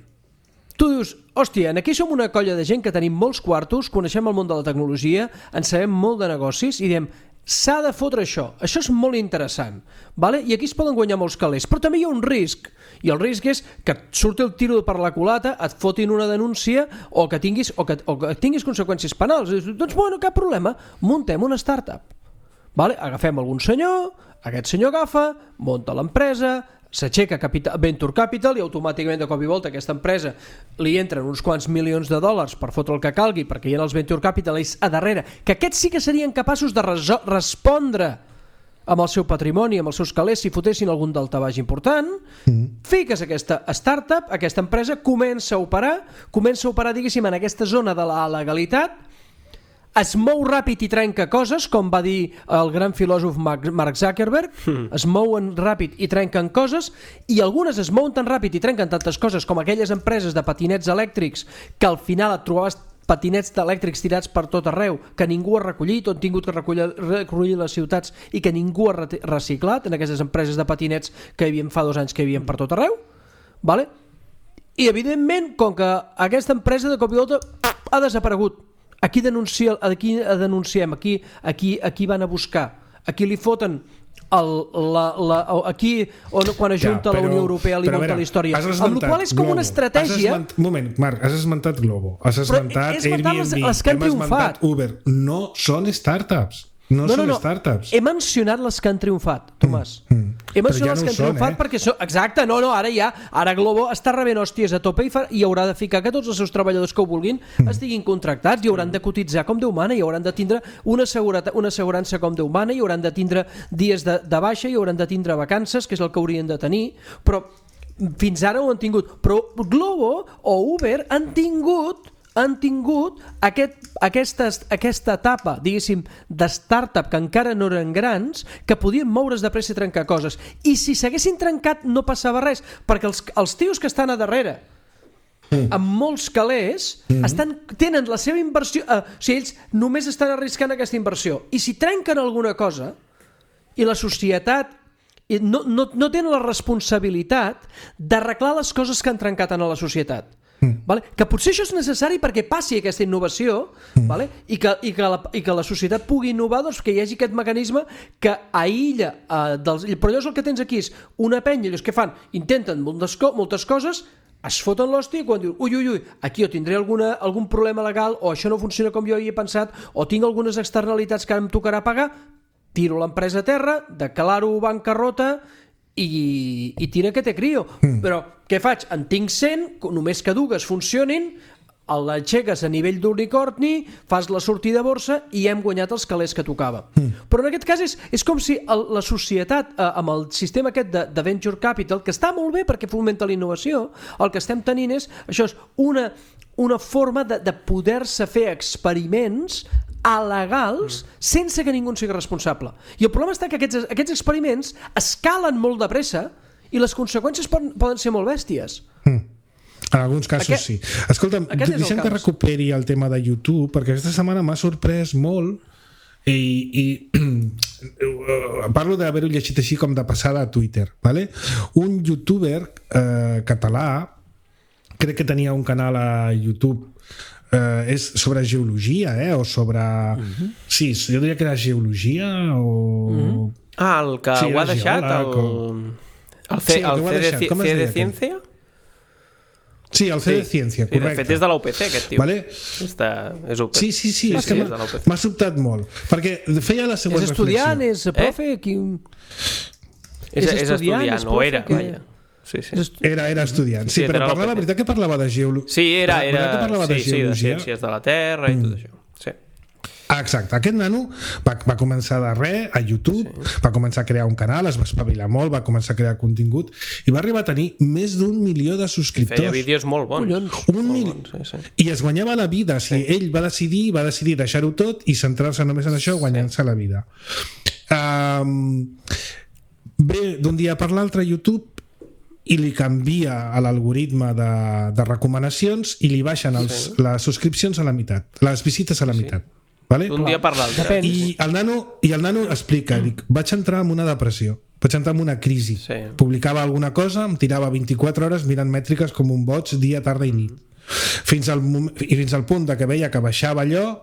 tu dius, hòstia, aquí som una colla de gent que tenim molts quartos, coneixem el món de la tecnologia, en sabem molt de negocis i diem, s'ha de fotre això, això és molt interessant, vale? I aquí es poden guanyar molts calés, però també hi ha un risc, i el risc és que et surti el tiro per la culata, et fotin una denúncia o que tinguis, o que, o que tinguis conseqüències penals. Doncs bueno, cap problema, muntem una startup, vale? Agafem algun senyor, aquest senyor agafa, munta l'empresa, s'aixeca capital, Venture Capital i automàticament de cop i volta aquesta empresa li entren uns quants milions de dòlars per fotre el que calgui perquè hi ha els Venture Capitalists a darrere, que aquests sí que serien capaços de respondre amb el seu patrimoni, amb els seus calés si fotessin algun daltabaix important. Mm. Fiques aquesta startup, aquesta empresa comença a operar, comença a operar diguéssim en aquesta zona de la legalitat, es mou ràpid i trenca coses, com va dir el gran filòsof Mark Zuckerberg, mm. es mouen ràpid i trenquen coses, i algunes es mouen tan ràpid i trenquen tantes coses com aquelles empreses de patinets elèctrics que al final et trobaves patinets elèctrics tirats per tot arreu, que ningú ha recollit o han tingut que recollir, recollir les ciutats i que ningú ha reciclat en aquestes empreses de patinets que hi havia fa dos anys que hi havia per tot arreu, vale? I evidentment, com que aquesta empresa de cop i volta ha desaparegut, aquí denuncia, aquí denunciem, aquí, aquí, aquí van a buscar, aquí li foten el, la, la, aquí on, quan ajunta ja, però, la Unió Europea li munta la història, amb la qual és com Globo. Una estratègia. Esment... Un moment, Marc, has esmentat Globo, has esmentat Airbnb, les, les hem esmentat Uber, no són startups. No, no són no, no. startups. He mencionat les que han triomfat, Tomàs. Mm, mm. He mencionat ja les no que han són, triomfat eh? perquè són... Exacte, no, no, ara ja, ara Globo està rebent hòsties a tope i, fa... i haurà de ficar que tots els seus treballadors que ho vulguin mm. estiguin contractats i hauran de cotitzar com Déu mana i hauran de tindre una, seguretat, una assegurança com Déu mana i hauran de tindre dies de, de baixa i hauran de tindre vacances, que és el que haurien de tenir, però fins ara ho han tingut. Però Globo o Uber han tingut han tingut aquest, aquesta, aquesta etapa, diguéssim, de startup que encara no eren grans, que podien moure's de pressa i trencar coses. I si s'haguessin trencat no passava res, perquè els, els tios que estan a darrere, mm. amb molts calés, mm. estan, tenen la seva inversió... Eh, o sigui, ells només estan arriscant aquesta inversió. I si trenquen alguna cosa, i la societat no, no, no tenen la responsabilitat d'arreglar les coses que han trencat en la societat. Mm. Vale? Que potser això és necessari perquè passi aquesta innovació, mm. vale? I, que, i, que la, i que la societat pugui innovar, doncs, que hi hagi aquest mecanisme que aïlla eh, dels... però llavors el que tens aquí és una penya, ells que fan, intenten moltes, co moltes coses, es foten l'hòstia i quan diuen ui, ui, ui, aquí jo tindré alguna, algun problema legal o això no funciona com jo havia pensat o tinc algunes externalitats que ara em tocarà pagar, tiro l'empresa a terra, declaro bancarrota i, i tira que té crio. Mm. Però què faig? En tinc cent, només que dues funcionin, l'aixeques a nivell d'unicorni, fas la sortida a borsa i hem guanyat els calés que tocava. Mm. Però en aquest cas és, és com si el, la societat, eh, amb el sistema aquest de, de Venture Capital, que està molt bé perquè fomenta la innovació, el que estem tenint és, això és una, una forma de, de poder-se fer experiments alegals mm. sense que ningú en sigui responsable. I el problema està que aquests, aquests experiments escalen molt de pressa i les conseqüències poden, poden ser molt bèsties. Mm. En alguns casos aquest, sí. Escolta'm, deixem que recuperi el tema de YouTube, perquè aquesta setmana m'ha sorprès molt i, i parlo d'haver-ho llegit així com de passada a Twitter, ¿vale? Un youtuber eh, català, crec que tenia un canal a YouTube, Uh, és sobre geologia, eh? O sobre... Uh-huh. Sí, jo diria que era geologia o... Uh-huh. Ah, el que sí, ho ha deixat, el... O... El C, sí, el el C, de, C de Ciencia? Sí, el C de Ciencia, sí, correcte. De fet és de la U P C, aquest tio. Vale? Està, és U P C. Sí, sí, sí, sí, és sí, que m'ha sobtat molt. Perquè feia la següent reflexió. És estudiant, és profe... Eh? Qui... És, és estudiant, és profe, o era, que... vaja. Sí, sí. Era, era estudiant, sí, sí, però parla, la veritat que parlava de geologia. Sí, era, era sí, de, sí, de ciències de la Terra i mm. tot això. Sí. Ah, exacte, aquest nano va, va començar de res a YouTube, sí. Va començar a crear un canal, es va espavilar molt, va començar a crear contingut i va arribar a tenir més d'un milió de subscriptors. Feia vídeos molt bons. Un molt mil... bons sí, sí. I es guanyava la vida, si sí. Ell va decidir va decidir deixar-ho tot i centrar-se només en això, guanyant-se sí. la vida. Um, bé, d'un dia per l'altre YouTube i li canvia a l'algoritme de, de recomanacions i li baixen els, sí. les subscripcions a la meitat, les visites a la meitat. Sí. Vale? Un dia per l'altre. I el nano, i el nano explica, dic, vaig entrar en una depressió, vaig entrar en una crisi. Sí. Publicava alguna cosa, em tirava vint-i-quatre hores mirant mètriques com un boig dia, tarda i nit. Fins al, i fins al punt de que veia que baixava allò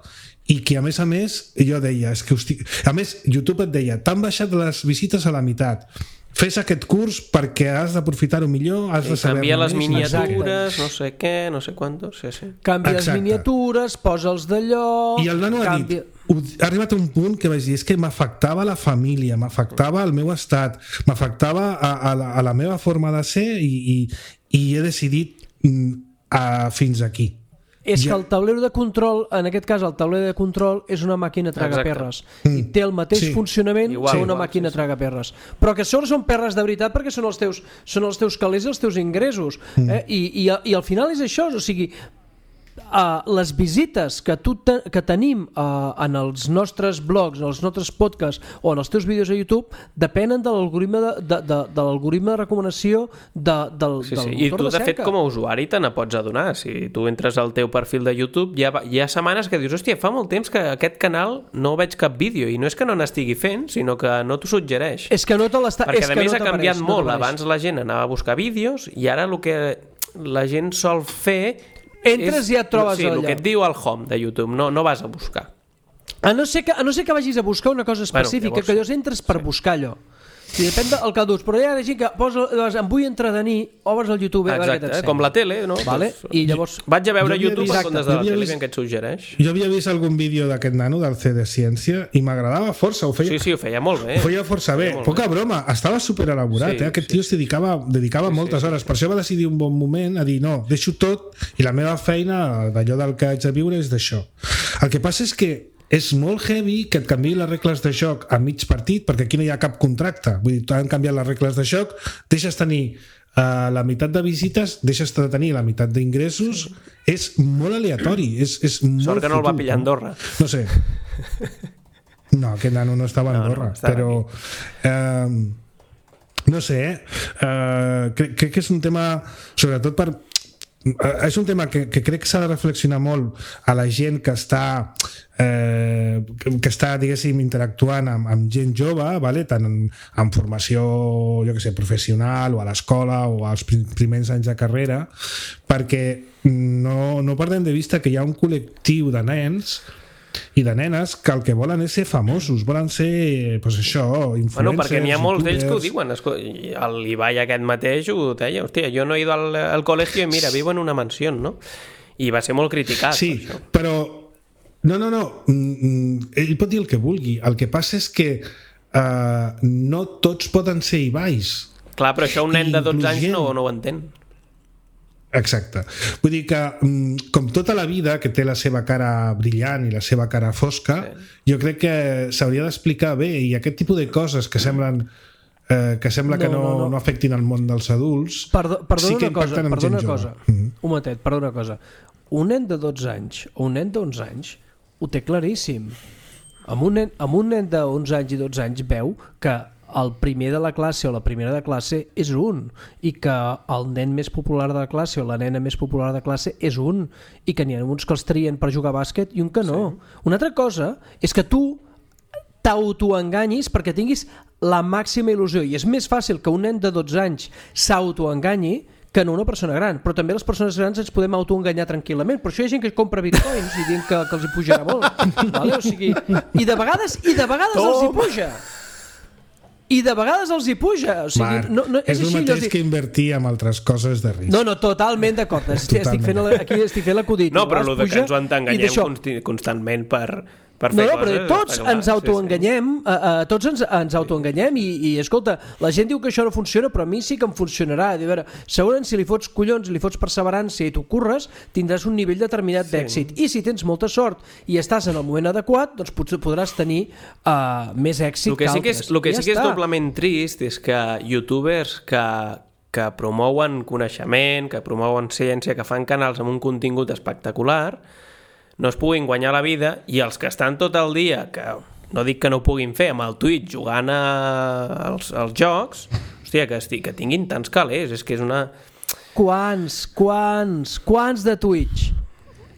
i que a més a més jo deia, és que hosti... a més YouTube et deia, t'han baixat les visites a la meitat, fes aquest curs perquè has d'aprofitar-ho millor, has de saber... Canvia les miniatures, no sé què, no sé quantos, sí, sí. Canvia les miniatures, posa'ls d'allò... I el nano canvia... ha dit, ha arribat a un punt que vaig dir, és que m'afectava la família, m'afectava el meu estat, m'afectava a, a, la, a la meva forma de ser i, i, i he decidit a, fins aquí. És ja. Que el taulero de control, en aquest cas el taulero de control és una màquina tragaperres mm. i té el mateix sí. funcionament igual, que una igual, màquina sí, sí. tragaperres, però que sobre són perres de veritat perquè són els teus, són els teus calés i els teus ingressos mm. eh? I, i, i al final és això, o sigui Uh, les visites que, tu te, que tenim uh, en els nostres blogs, en els nostres podcasts o en els teus vídeos a YouTube depenen de l'algoritme de, de, de, de l'algoritme de recomanació de, del, sí, del sí. I tu de, de fet com a usuari te n'apots adonar. Si tu entres al teu perfil de YouTube hi ha, hi ha setmanes que dius, hòstia, fa molt temps que aquest canal no veig cap vídeo i no és que no n'estigui fent, sinó que no t'ho suggereix. És que no te l'està... Perquè és a que més no ha canviat no molt. Abans la gent anava a buscar vídeos i ara el que la gent sol fer entres és, i ja et trobes sí, allà. El que et diu el home de YouTube, no, no vas a buscar. A no, ser que, a no ser que vagis a buscar una cosa específica, bueno, llavors, que llavors entres per sí. buscar allò. I depèn del que durs, però hi ha gent que posa, em vull entretenir, obres al YouTube. Exacte, eh? Com la tele, no? Vale? I llavors... Vaig a veure YouTube en comptes de la tele, vist, que et suggereix. Jo havia vist algun vídeo d'aquest nano del C de Ciència i m'agradava força. Ho feia, sí, sí, ho feia molt bé. Ho feia força bé. Poca bé. Broma, estava superelaborat. Sí, eh? Aquest sí. tio es dedicava, dedicava sí, moltes sí, hores. Per això va decidir un bon moment a dir, no, deixo tot i la meva feina d'allò del que haig de viure és d'això. El que passa és que és molt heavy que et canviï les regles de joc a mig partit, perquè aquí no hi ha cap contracte. Vull dir, t'han canviat les regles de joc, deixes tenir uh, la meitat de visites, deixes de tenir la meitat d'ingressos. És molt aleatori. És, és molt Sort que no el va pillar Andorra. No sé. No, aquest nano no estava a Andorra, no, no, però... Eh, no sé, eh, crec, crec que és un tema, sobretot per... És un tema que, que crec que s'ha de reflexionar molt a la gent que està eh, que està, diguéssim, interactuant amb, amb gent jove, vale? Tant en, en formació, jo que sé, professional o a l'escola o als primers anys de carrera, perquè no, no perdem de vista que hi ha un col·lectiu de nens i de nenes que el que volen és ser famosos, volen ser, pues això, influencers. Bueno, perquè n'hi ha molts d'ells que ho diuen. L'Ibai aquest mateix ho deia, hòstia, jo no he ido al, al col·legi i mira, vivo en una mansió, no? I va ser molt criticat. Sí, per però no, no, no, ell pot dir el que vulgui, el que passa és que uh, no tots poden ser Ibais. Clar, però això un nen de dotze anys no, no ho entén. Exacte. Vull dir que, com tota la vida, que té la seva cara brillant i la seva cara fosca, sí. Jo crec que s'hauria d'explicar bé, i aquest tipus de coses que semblen eh, que sembla no, que no, no, no. no afectin el món dels adults, Perdó, perdona sí que una cosa, impacten en gent una jove. cosa. Mm-hmm. Un momentet, perdona una cosa. Un nen de dotze anys o un nen d'onze anys ho té claríssim. Amb un nen, amb un nen d'onze anys i dotze anys veu que el primer de la classe o la primera de classe és un, i que el nen més popular de la classe o la nena més popular de classe és un, i que n'hi ha uns que els trien per jugar a bàsquet i un que no. Sí. Una altra cosa és que tu t'autoenganyis perquè tinguis la màxima il·lusió, i és més fàcil que un nen de dotze anys s'autoenganyi que no una persona gran, però també les persones grans ens podem autoenganyar tranquil·lament. Per això hi ha gent que compra bitcoins i diuen que, que els hi pujarà molt. Vale? O sigui, i de vegades, i de vegades Tom. els hi puja. I de vegades els hi puja. O sigui, Marc, no, no, és, és el així, mateix no, que invertir en altres coses de risc. No, no, totalment d'acord. Estic fent la, aquí estic fent l'acudit. No, però el de que ens ho entenganyem constantment per... per fer no, no, coses, però tots ens autoenganyem, sí, sí. Uh, uh, tots ens, ens autoenganyem i, i escolta, la gent diu que això no funciona, però a mi sí que em funcionarà. A veure, segurament si li fots collons, li fots perseverança i t'ho curres, tindràs un nivell determinat sí. d'èxit. I si tens molta sort i estàs en el moment adequat, doncs potser podràs tenir uh, més èxit el que, que sí que és, altres. El que ja sí que està. és doblement trist és que youtubers que, que promouen coneixement, que promouen ciència, que fan canals amb un contingut espectacular, no es puguin guanyar la vida, i els que estan tot el dia, que no dic que no ho puguin fer amb el Twitch jugant a, als, als jocs, hòstia, que, esti, que tinguin tants calés, és que és una... Quants, quants, quants de Twitch?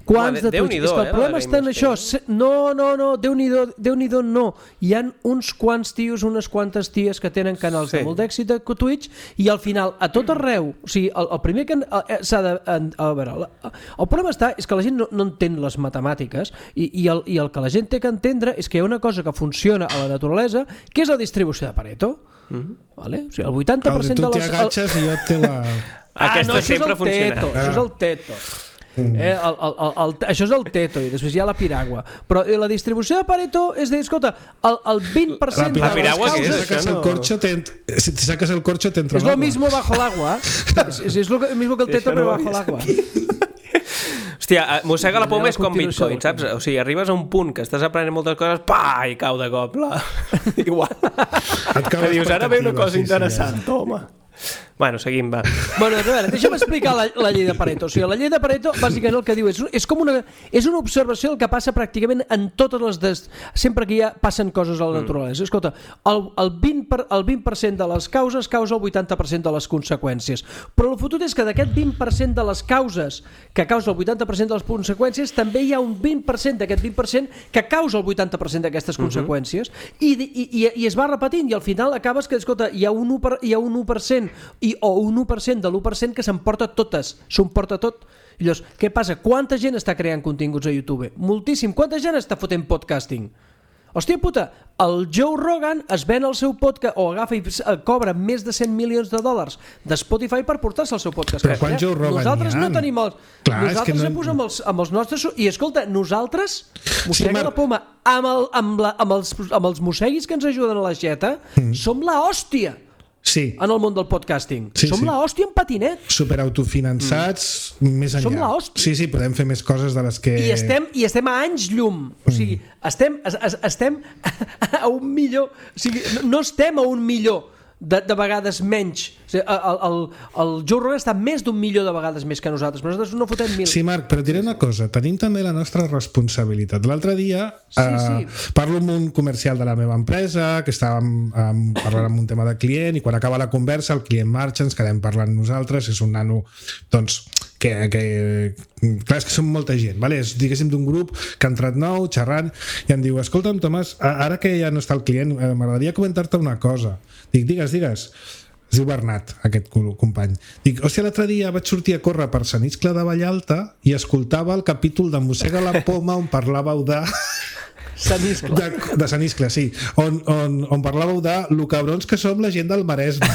Quants de Twitch? És que el problema està en això. No, no, no, Déu-n'hi-do, Déu-n'hi-do no. Hi ha uns quants tios, unes quantes ties que tenen canals sí. de molt d'èxit de Twitch, i al final, a tot arreu, o sigui, el, el primer que s'ha de... A veure, el problema està és que la gent no, no entén les matemàtiques, i, i, el, i el que la gent té que entendre és que hi ha una cosa que funciona a la naturalesa, que és la distribució de Pareto. Mm-hmm. Vale? O sigui, el vuitanta per cent de les... Tu t'agatxes i jo te la... Ah, Aquesta no, sempre funciona. Teto, ah. Això és el teto. Eh, el, el, el, el, això és el teto, i després hi ha la piragua, però la distribució de Pareto és dir, escolta, el, el vint per cent la de les causes si sacas el corcho te, si te sacas el corcho te entra es lo mismo bajo el agua es, es, es lo mismo que el teto però bajo el agua. Hòstia, mossega la poma és com Bitcoin, saps? O sigui, arribes a un punt que estàs aprenent moltes coses, pa, i cau de cop la... igual et dius, ara ve una cosa interessant, sí, toma. Bueno, seguim, va. Bueno, a veure, deixa'm explicar la, la llei de Pareto. O sigui, la llei de Pareto, bàsicament el que diu és, és com una, és una observació del que passa pràcticament en totes les... Des, sempre que hi ha, passen coses a la naturalesa. Mm. Escolta, el, el, vint per, el vint per cent de les causes causa el vuitanta per cent de les conseqüències. Però el fotut és que d'aquest vint per cent de les causes que causa el vuitanta per cent de les conseqüències, també hi ha un vint per cent d'aquest vint per cent que causa el vuitanta per cent d'aquestes mm-hmm. conseqüències, i, i, i, i es va repetint, i al final acabes que, escolta, hi ha un u per, hi ha un u per cent i, o un u per cent de l'u per cent que s'emporta totes, s'ho emporta tot. I llavors, què passa? Quanta gent està creant continguts a YouTube? Moltíssim. Quanta gent està fotent podcasting? Hòstia puta, el Joe Rogan es ven el seu podcast, o agafa i cobra més de cent milions de dòlars de Spotify per portar-se el seu podcast. Però quan Joe Rogan nosaltres no tenim els... Clar, nosaltres no... hem posat amb els, amb els nostres... I escolta, nosaltres, mossega sí, Mar... la poma, amb, el, amb, la, amb, els, amb els mosseguis que ens ajuden a la xeta, mm. som la hòstia. sí. en el món del podcasting. Sí, Som sí. l'hòstia en patinet. Superautofinançats, mm. més enllà. Som l'hòstia. Sí, sí, podem fer més coses de les que... I estem, i estem a anys llum. O sigui, estem, es, es, estem a un millor... O sigui, no estem a un millor de, de vegades menys. O sigui, el, el, el Joe Rogan està més d'un milió de vegades més que nosaltres, però nosaltres no fotem mil. Sí, Marc, però diré una cosa, tenim també la nostra responsabilitat. L'altre dia sí, eh, sí. parlo amb un comercial de la meva empresa, que estàvem eh, parlant amb un tema de client, i quan acaba la conversa el client marxa, ens quedem parlant nosaltres, és un nano, doncs, que, que clar, és que som molta gent, vale? És, diguéssim, d'un grup que ha entrat nou, xerrant, i em diu, escolta'm, Tomàs, ara que ja no està el client, eh, m'agradaria comentar-te una cosa. Dic, digues, digues. Es diu Bernat, aquest company. Dic, hòstia, l'altre dia vaig sortir a córrer per Sant Iscle de Vallalta i escoltava el capítol de Mossega la Poma on parlàveu de... Sant Iscle. De, de Sant Iscle, sí. On, on, on parlàveu de lo cabrons que som la gent del Maresme.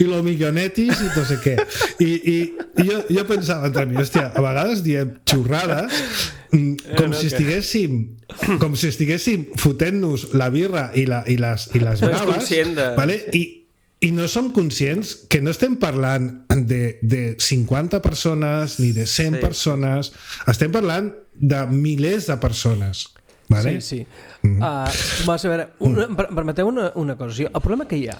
I lo millonetis i no sé què. I, i, i jo, jo pensava entre mi, hòstia, a vegades diem xurrades com si estiguéssim com si estiguéssim fotent-nos la birra i, la, i les, i les braves, de... vale? I, i no som conscients que no estem parlant de, de cinquanta persones ni de cent sí. persones, estem parlant de milers de persones. Vale? Sí, sí. Mm-hmm. Uh, a veure, una, permeteu una, una cosa. El problema que hi ha...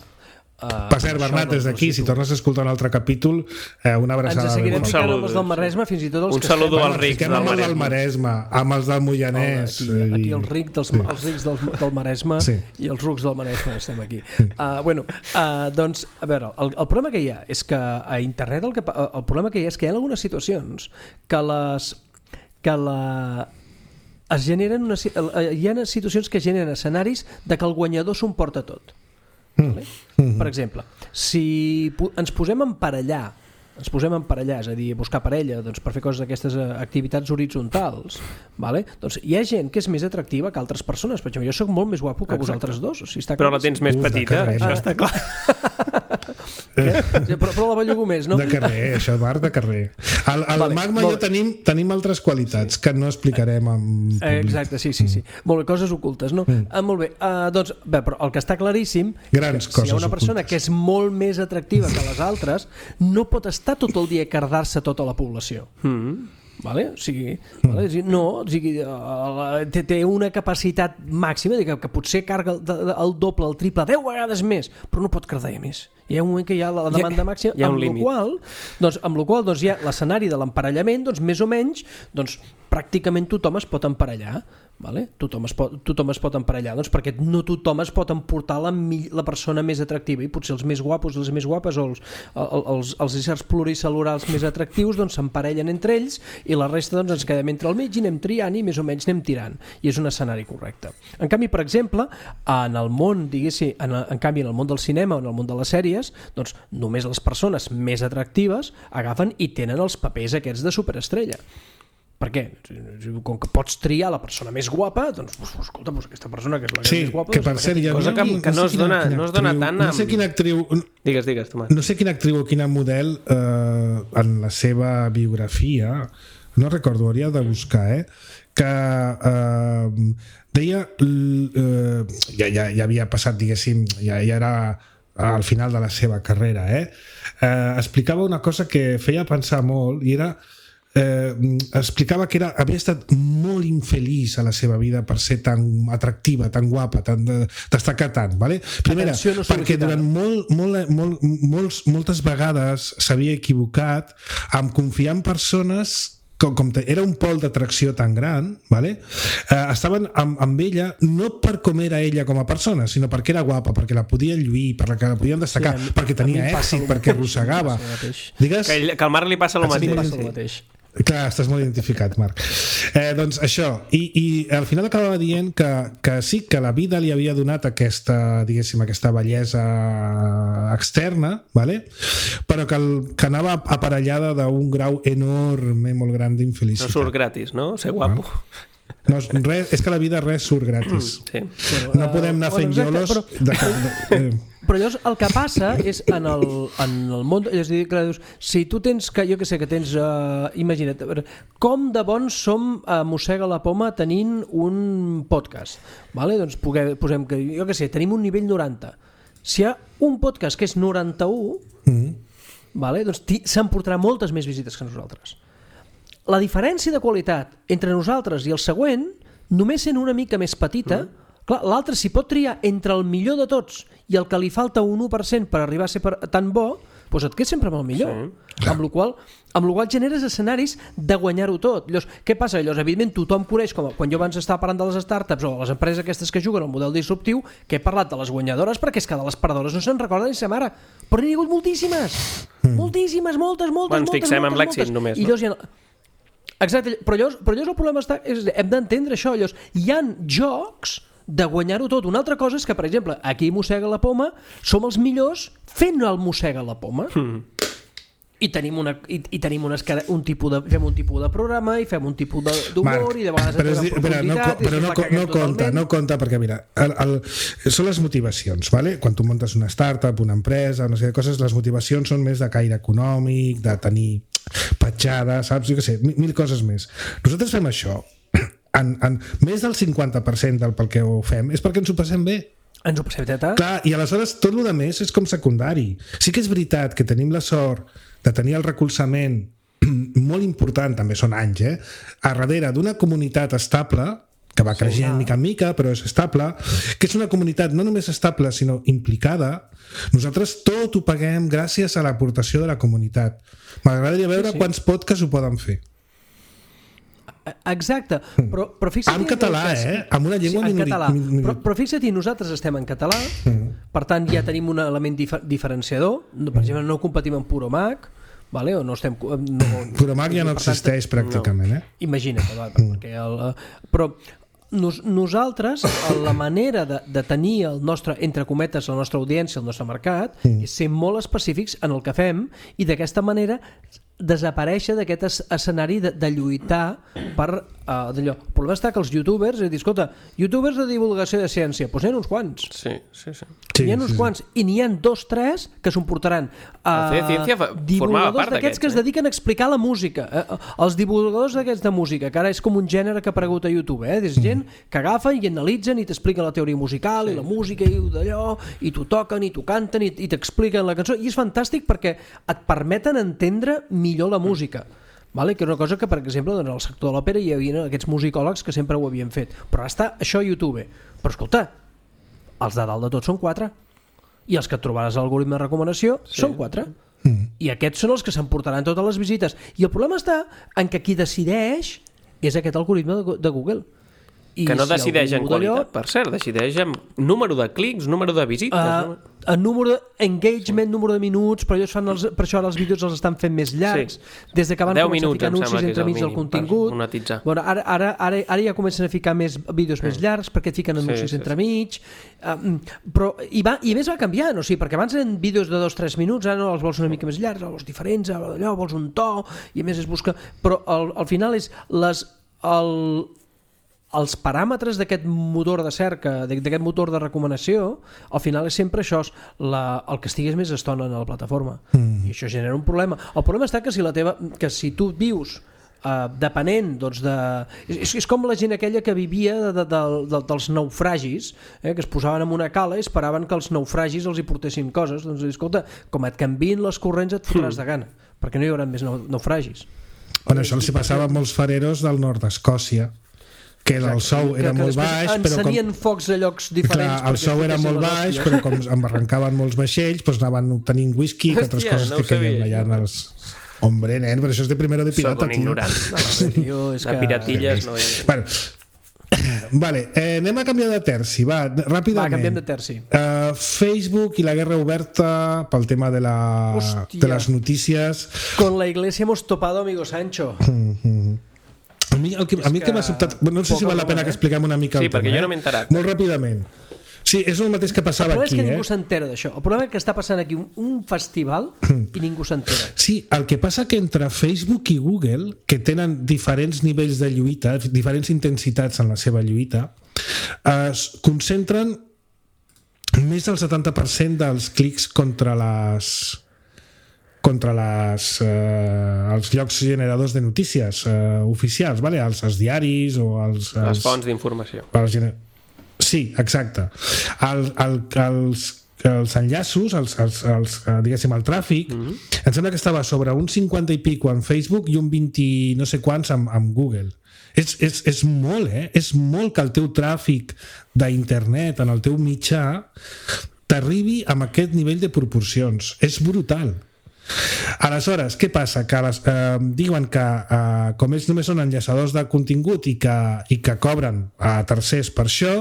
Uh, per cert, Bernat, des d'aquí, si tornes a escoltar un altre capítol, eh, una abraçada. Ens seguirem ficant amb els del Maresme, fins i tot els un que saludo als rics del Maresme. del Maresme, amb els del Moianès. No, aquí, aquí els rics, dels, sí. els rics del, del Maresme sí. i els rucs del Maresme estem aquí. Uh, bueno, uh, doncs, a veure, el, el problema que hi ha és que a internet el, que, el problema que hi ha és que hi ha algunes situacions que les... que la... es generen una, hi ha situacions que generen escenaris de que el guanyador s'ho emporta tot. Vale? Mm-hmm. Per exemple, si ens posem a emparellar, ens posem a emparellar, és a dir, buscar parella doncs, per fer coses d'aquestes activitats horitzontals, vale? Doncs hi ha gent que és més atractiva que altres persones. Per exemple, jo soc molt més guapo que Exacte. vosaltres dos. O sigui, està però la tens més petita, carrer, això ah. està clar. Però, però la bellugo més, no? De carrer, això, Marc, de carrer. El, el vale, Magma i jo tenim, tenim altres qualitats sí. que no explicarem en públic. Exacte, sí, sí, sí. Mm. Molt bé, coses ocultes, no? Mm. Ah, molt bé, uh, doncs, bé, però el que està claríssim Grans és que si hi ha una persona ocultes. que és molt més atractiva que les altres, no pot estar tot el dia a cardar-se tota la població. Mm. Vale? O sigui, vale? No, o sigui, té, té una capacitat màxima que, que potser carga el, el doble, el triple, deu vegades més, però no pot cardar més. Hi ha un moment que hi ha la demanda màxima, hi ha un amb límit. Lo qual, doncs, amb la qual doncs, hi ha l'escenari de l'emparellament, doncs, més o menys, doncs, pràcticament tothom es pot emparellar. Vale? Tothom, es pot, tothom es pot emparellar, doncs, perquè no tothom es pot emportar la, la persona més atractiva, i potser els més guapos, les més guapes, o els, els, els éssers pluricel·lurals més atractius doncs s'emparellen entre ells, i la resta doncs, ens quedem entre el mig i anem triant i més o menys anem tirant, i és un escenari correcte. En canvi, per exemple, en el món, diguéssim, en, en canvi en el món del cinema o en el món de les sèries, doncs només les persones més atractives agafen i tenen els papers aquests de superestrella. Per què? Com que pots triar la persona més guapa, doncs, escolta, doncs aquesta persona que és la sí, més guapa... que per cert, ja cosa que, que no, es dona, no es dona tant... No sé quina actriu... Digues, digues, Tomàs. No sé quina actriu o quina model eh, en la seva biografia, no recordo, hauria de buscar, eh, que eh, deia... Eh, ja, ja, ja havia passat, diguéssim, ja, ja era al final de la seva carrera, eh? Eh, explicava una cosa que feia pensar molt, i era... Eh, explicava que era, havia estat molt infeliç a la seva vida per ser tan atractiva, tan guapa, tan de, destacar tant, vale? Primera, no perquè durant molt, molt, molt, molts, moltes vegades s'havia equivocat amb confiar en persones com, com te, era un pol d'atracció tan gran, vale? eh, estaven amb, amb ella no per com era ella com a persona, sinó perquè era guapa, perquè la podien lluir, perquè la podien destacar, sí, perquè tenia èxit, perquè arrossegava. Digues? Que, ell, que al Marc li passa el mateix. Passa el mateix. Clar, estàs molt identificat, Marc. Eh, doncs això, i, i al final acabava dient que, que sí, que la vida li havia donat aquesta, diguéssim, aquesta bellesa externa, vale? Però que, el, que anava aparellada d'un grau enorme, molt gran d'infelicitat. No surt gratis, no? Ser guapo. No, res, és que a la vida res surt gratis. Mm, sí. Bueno, no podem anar fent bueno, iolos... Però, de, de, de, però llavors el que passa és en el, en el món... És a dir, que dius, si tu tens, que jo que sé, que tens... Uh, imagina't, com de bons som a Mossega la Poma tenint un podcast? Vale? Doncs puguem, posem que, jo que sé, tenim un nivell noranta. Si hi ha un podcast que és noranta-u, mm. vale? Doncs s'emportarà moltes més visites que nosaltres. La diferència de qualitat entre nosaltres i el següent, només sent una mica més petita, mm. clar, l'altre s'hi pot triar entre el millor de tots i el que li falta un u per cent per arribar a ser per, tan bo, doncs et quedes sempre amb el millor. Sí. Amb la qual amb la qual generes escenaris de guanyar-ho tot. Llavors, què passa? Llavors, evidentment, tothom coneix, com quan jo abans estava parlant de les startups o les empreses aquestes que juguen al model disruptiu, que he parlat de les guanyadores, perquè és que de les perdedores no se'n recorda ni sa mare. Però n'hi ha hagut moltíssimes. Mm. Moltíssimes, moltes, moltes, bueno, moltes, fixem moltes, amb l'èxit només. I llavors hi ha... Exacte, però llavors, però llavors el problema està... És, hem d'entendre això. Llavors, hi ha jocs de guanyar-ho tot. Una altra cosa és que, per exemple, aquí a Mossega la Poma som els millors fent el Mossega la Poma. Mm. I tenim, una, i, i tenim unes, un tipus de, fem un tipus de programa i fem un tipus d'humor i de vegades però, és, però no, però no, no compta, no compta perquè mira, el, el, són les motivacions, vale? Quan tu muntes una startup, una empresa, una sèrie de coses, les motivacions són més de caire econòmic, de tenir petjada, saps? Jo què sé, mil, mil coses més. Nosaltres fem això en, en més del cinquanta per cent del pel que ho fem és perquè ens ho passem bé. Ens ho passem teta. Clar, i aleshores tot el que més és com secundari. Sí que és veritat que tenim la sort de tenir el recolzament molt important, també són anys, eh? a darrere d'una comunitat estable, que va creixent mica en mica, però és estable, que és una comunitat no només estable, sinó implicada. Nosaltres tot ho paguem gràcies a l'aportació de la comunitat. M'agradaria veure sí, sí. quants podcasts ho poden fer. Exacte, però, però fixa't... En català, eh? Amb una llengua sí, minoritària. Minori... Però, però fixa't, nosaltres estem en català, mm. per tant ja tenim un element dif diferenciador. Per exemple, no competim amb Puromac, vale? O no estem... No, Puromac ja no existeix tant, pràcticament, eh? Imagina't, va, mm. perquè el, però nos, nosaltres, la manera de, de tenir el nostre, entre cometes, la nostra audiència, el nostre mercat, mm. és ser molt específics en el que fem i d'aquesta manera desaparèixer d'aquest escenari de, de lluitar per uh, d'allò. El problema està que els youtubers, és dir, escolta, youtubers de divulgació de ciència, doncs n'hi ha uns quants. Sí, sí, sí. N'hi ha uns sí, quants, sí. I n'hi ha dos, tres que s'emportaran uh, divulgadors d'aquests que es dediquen a explicar la música. Uh, els divulgadors d'aquests de música, que ara és com un gènere que ha aparegut a YouTube, eh? És gent que agafen i analitzen i t'expliquen la teoria musical sí. i la música i d'allò, i t'ho toquen i t'ho canten i, i t'expliquen la cançó, i és fantàstic perquè et permeten entendre millor la música, vale? Que és una cosa que, per exemple, en el sector de l'òpera hi havia aquests musicòlegs que sempre ho havien fet, però ara està això a YouTube. Però escolta, els de dalt de tot són quatre, i els que et trobaràs a l'algoritme de recomanació sí. són quatre, mm. i aquests són els que s'emportaran totes les visites, i el problema està en que qui decideix és aquest algoritme de Google. I que no si decideix en qualitat, allò... per cert, decideix en número de clics, número de visites... Uh, en número d'engagement, número de minuts, però ells fan els, per això ara els vídeos els estan fent més llargs, sí. des de que van començar minuts, a ficar anuncis entremig del contingut. Bueno, ara, ara, ara, ara ja comencen a ficar més vídeos mm. més llargs perquè et fiquen anuncis sí, sí, entremig, uh, però i, va, i més va canviant, o sigui, perquè abans eren vídeos de dos o tres minuts, ara no els vols una mica més llargs, els vols diferents, allò, vols un to, i a més es busca... Però al, al final és les... El, els paràmetres d'aquest motor de cerca, d'aquest motor de recomanació, al final és sempre això, la, el que estigués més estona en la plataforma. Mm. I això genera un problema. El problema està que si, la teva, que si tu vius uh, depenent doncs, de... És, és com la gent aquella que vivia de, de, de, de, dels naufragis, eh, que es posaven en una cala i esperaven que els naufragis els hi portessin coses. Doncs, escolta, com et canvien les corrents et fotràs mm. de gana, perquè no hi haurà més naufragis. Bueno, això els passava a molts fareros del nord d'Escòcia, que el sou era molt baix, però com... encenien focs a llocs diferents. Clar, el sou era molt baix, però com em arrencaven molts vaixells, doncs anaven obtenint whisky, que altres coses que caien allà en els... Hombre, nen, però això és de primero de pirata, tio. Soc un ignorant. No, és que... De piratilles no és... Bueno, vale, eh, anem a canviar de terci, va, ràpidament. Va, canviem de terci. Uh, Facebook i la guerra oberta pel tema de, la, de les notícies. Con la iglesia hemos topado, amigo Sancho. Mm-hmm. A mi el que, a mi que m'ha sobtat... No sé si val la pena que expliquem una mica sí, el tema. Sí, perquè jo no m'he enterat. Molt ràpidament. O Sí, és el mateix que passava aquí. El problema aquí, és que eh? ningú s'entera d'això. El problema és que està passant aquí un, un festival i ningú s'entera. Sí, el que passa que entre Facebook i Google, que tenen diferents nivells de lluita, diferents intensitats en la seva lluita, es concentren més del setanta per cent dels clics contra les contra les, eh, els llocs generadors de notícies eh, oficials, vale? els, els diaris o els... els les fonts d'informació. Els gener... Sí, exacte. El, el, els, els enllaços, els, els, els, diguéssim, el tràfic, mm-hmm. em sembla que estava sobre un cinquanta i pico en Facebook i un vint no sé quants amb, amb Google. És, és, és molt, eh? És molt que el teu tràfic d'internet en el teu mitjà t'arribi amb aquest nivell de proporcions. És brutal. Aleshores, què passa? Que les, eh, diuen que eh, com ells només són enllaçadors de contingut i que, i que cobren a tercers per això,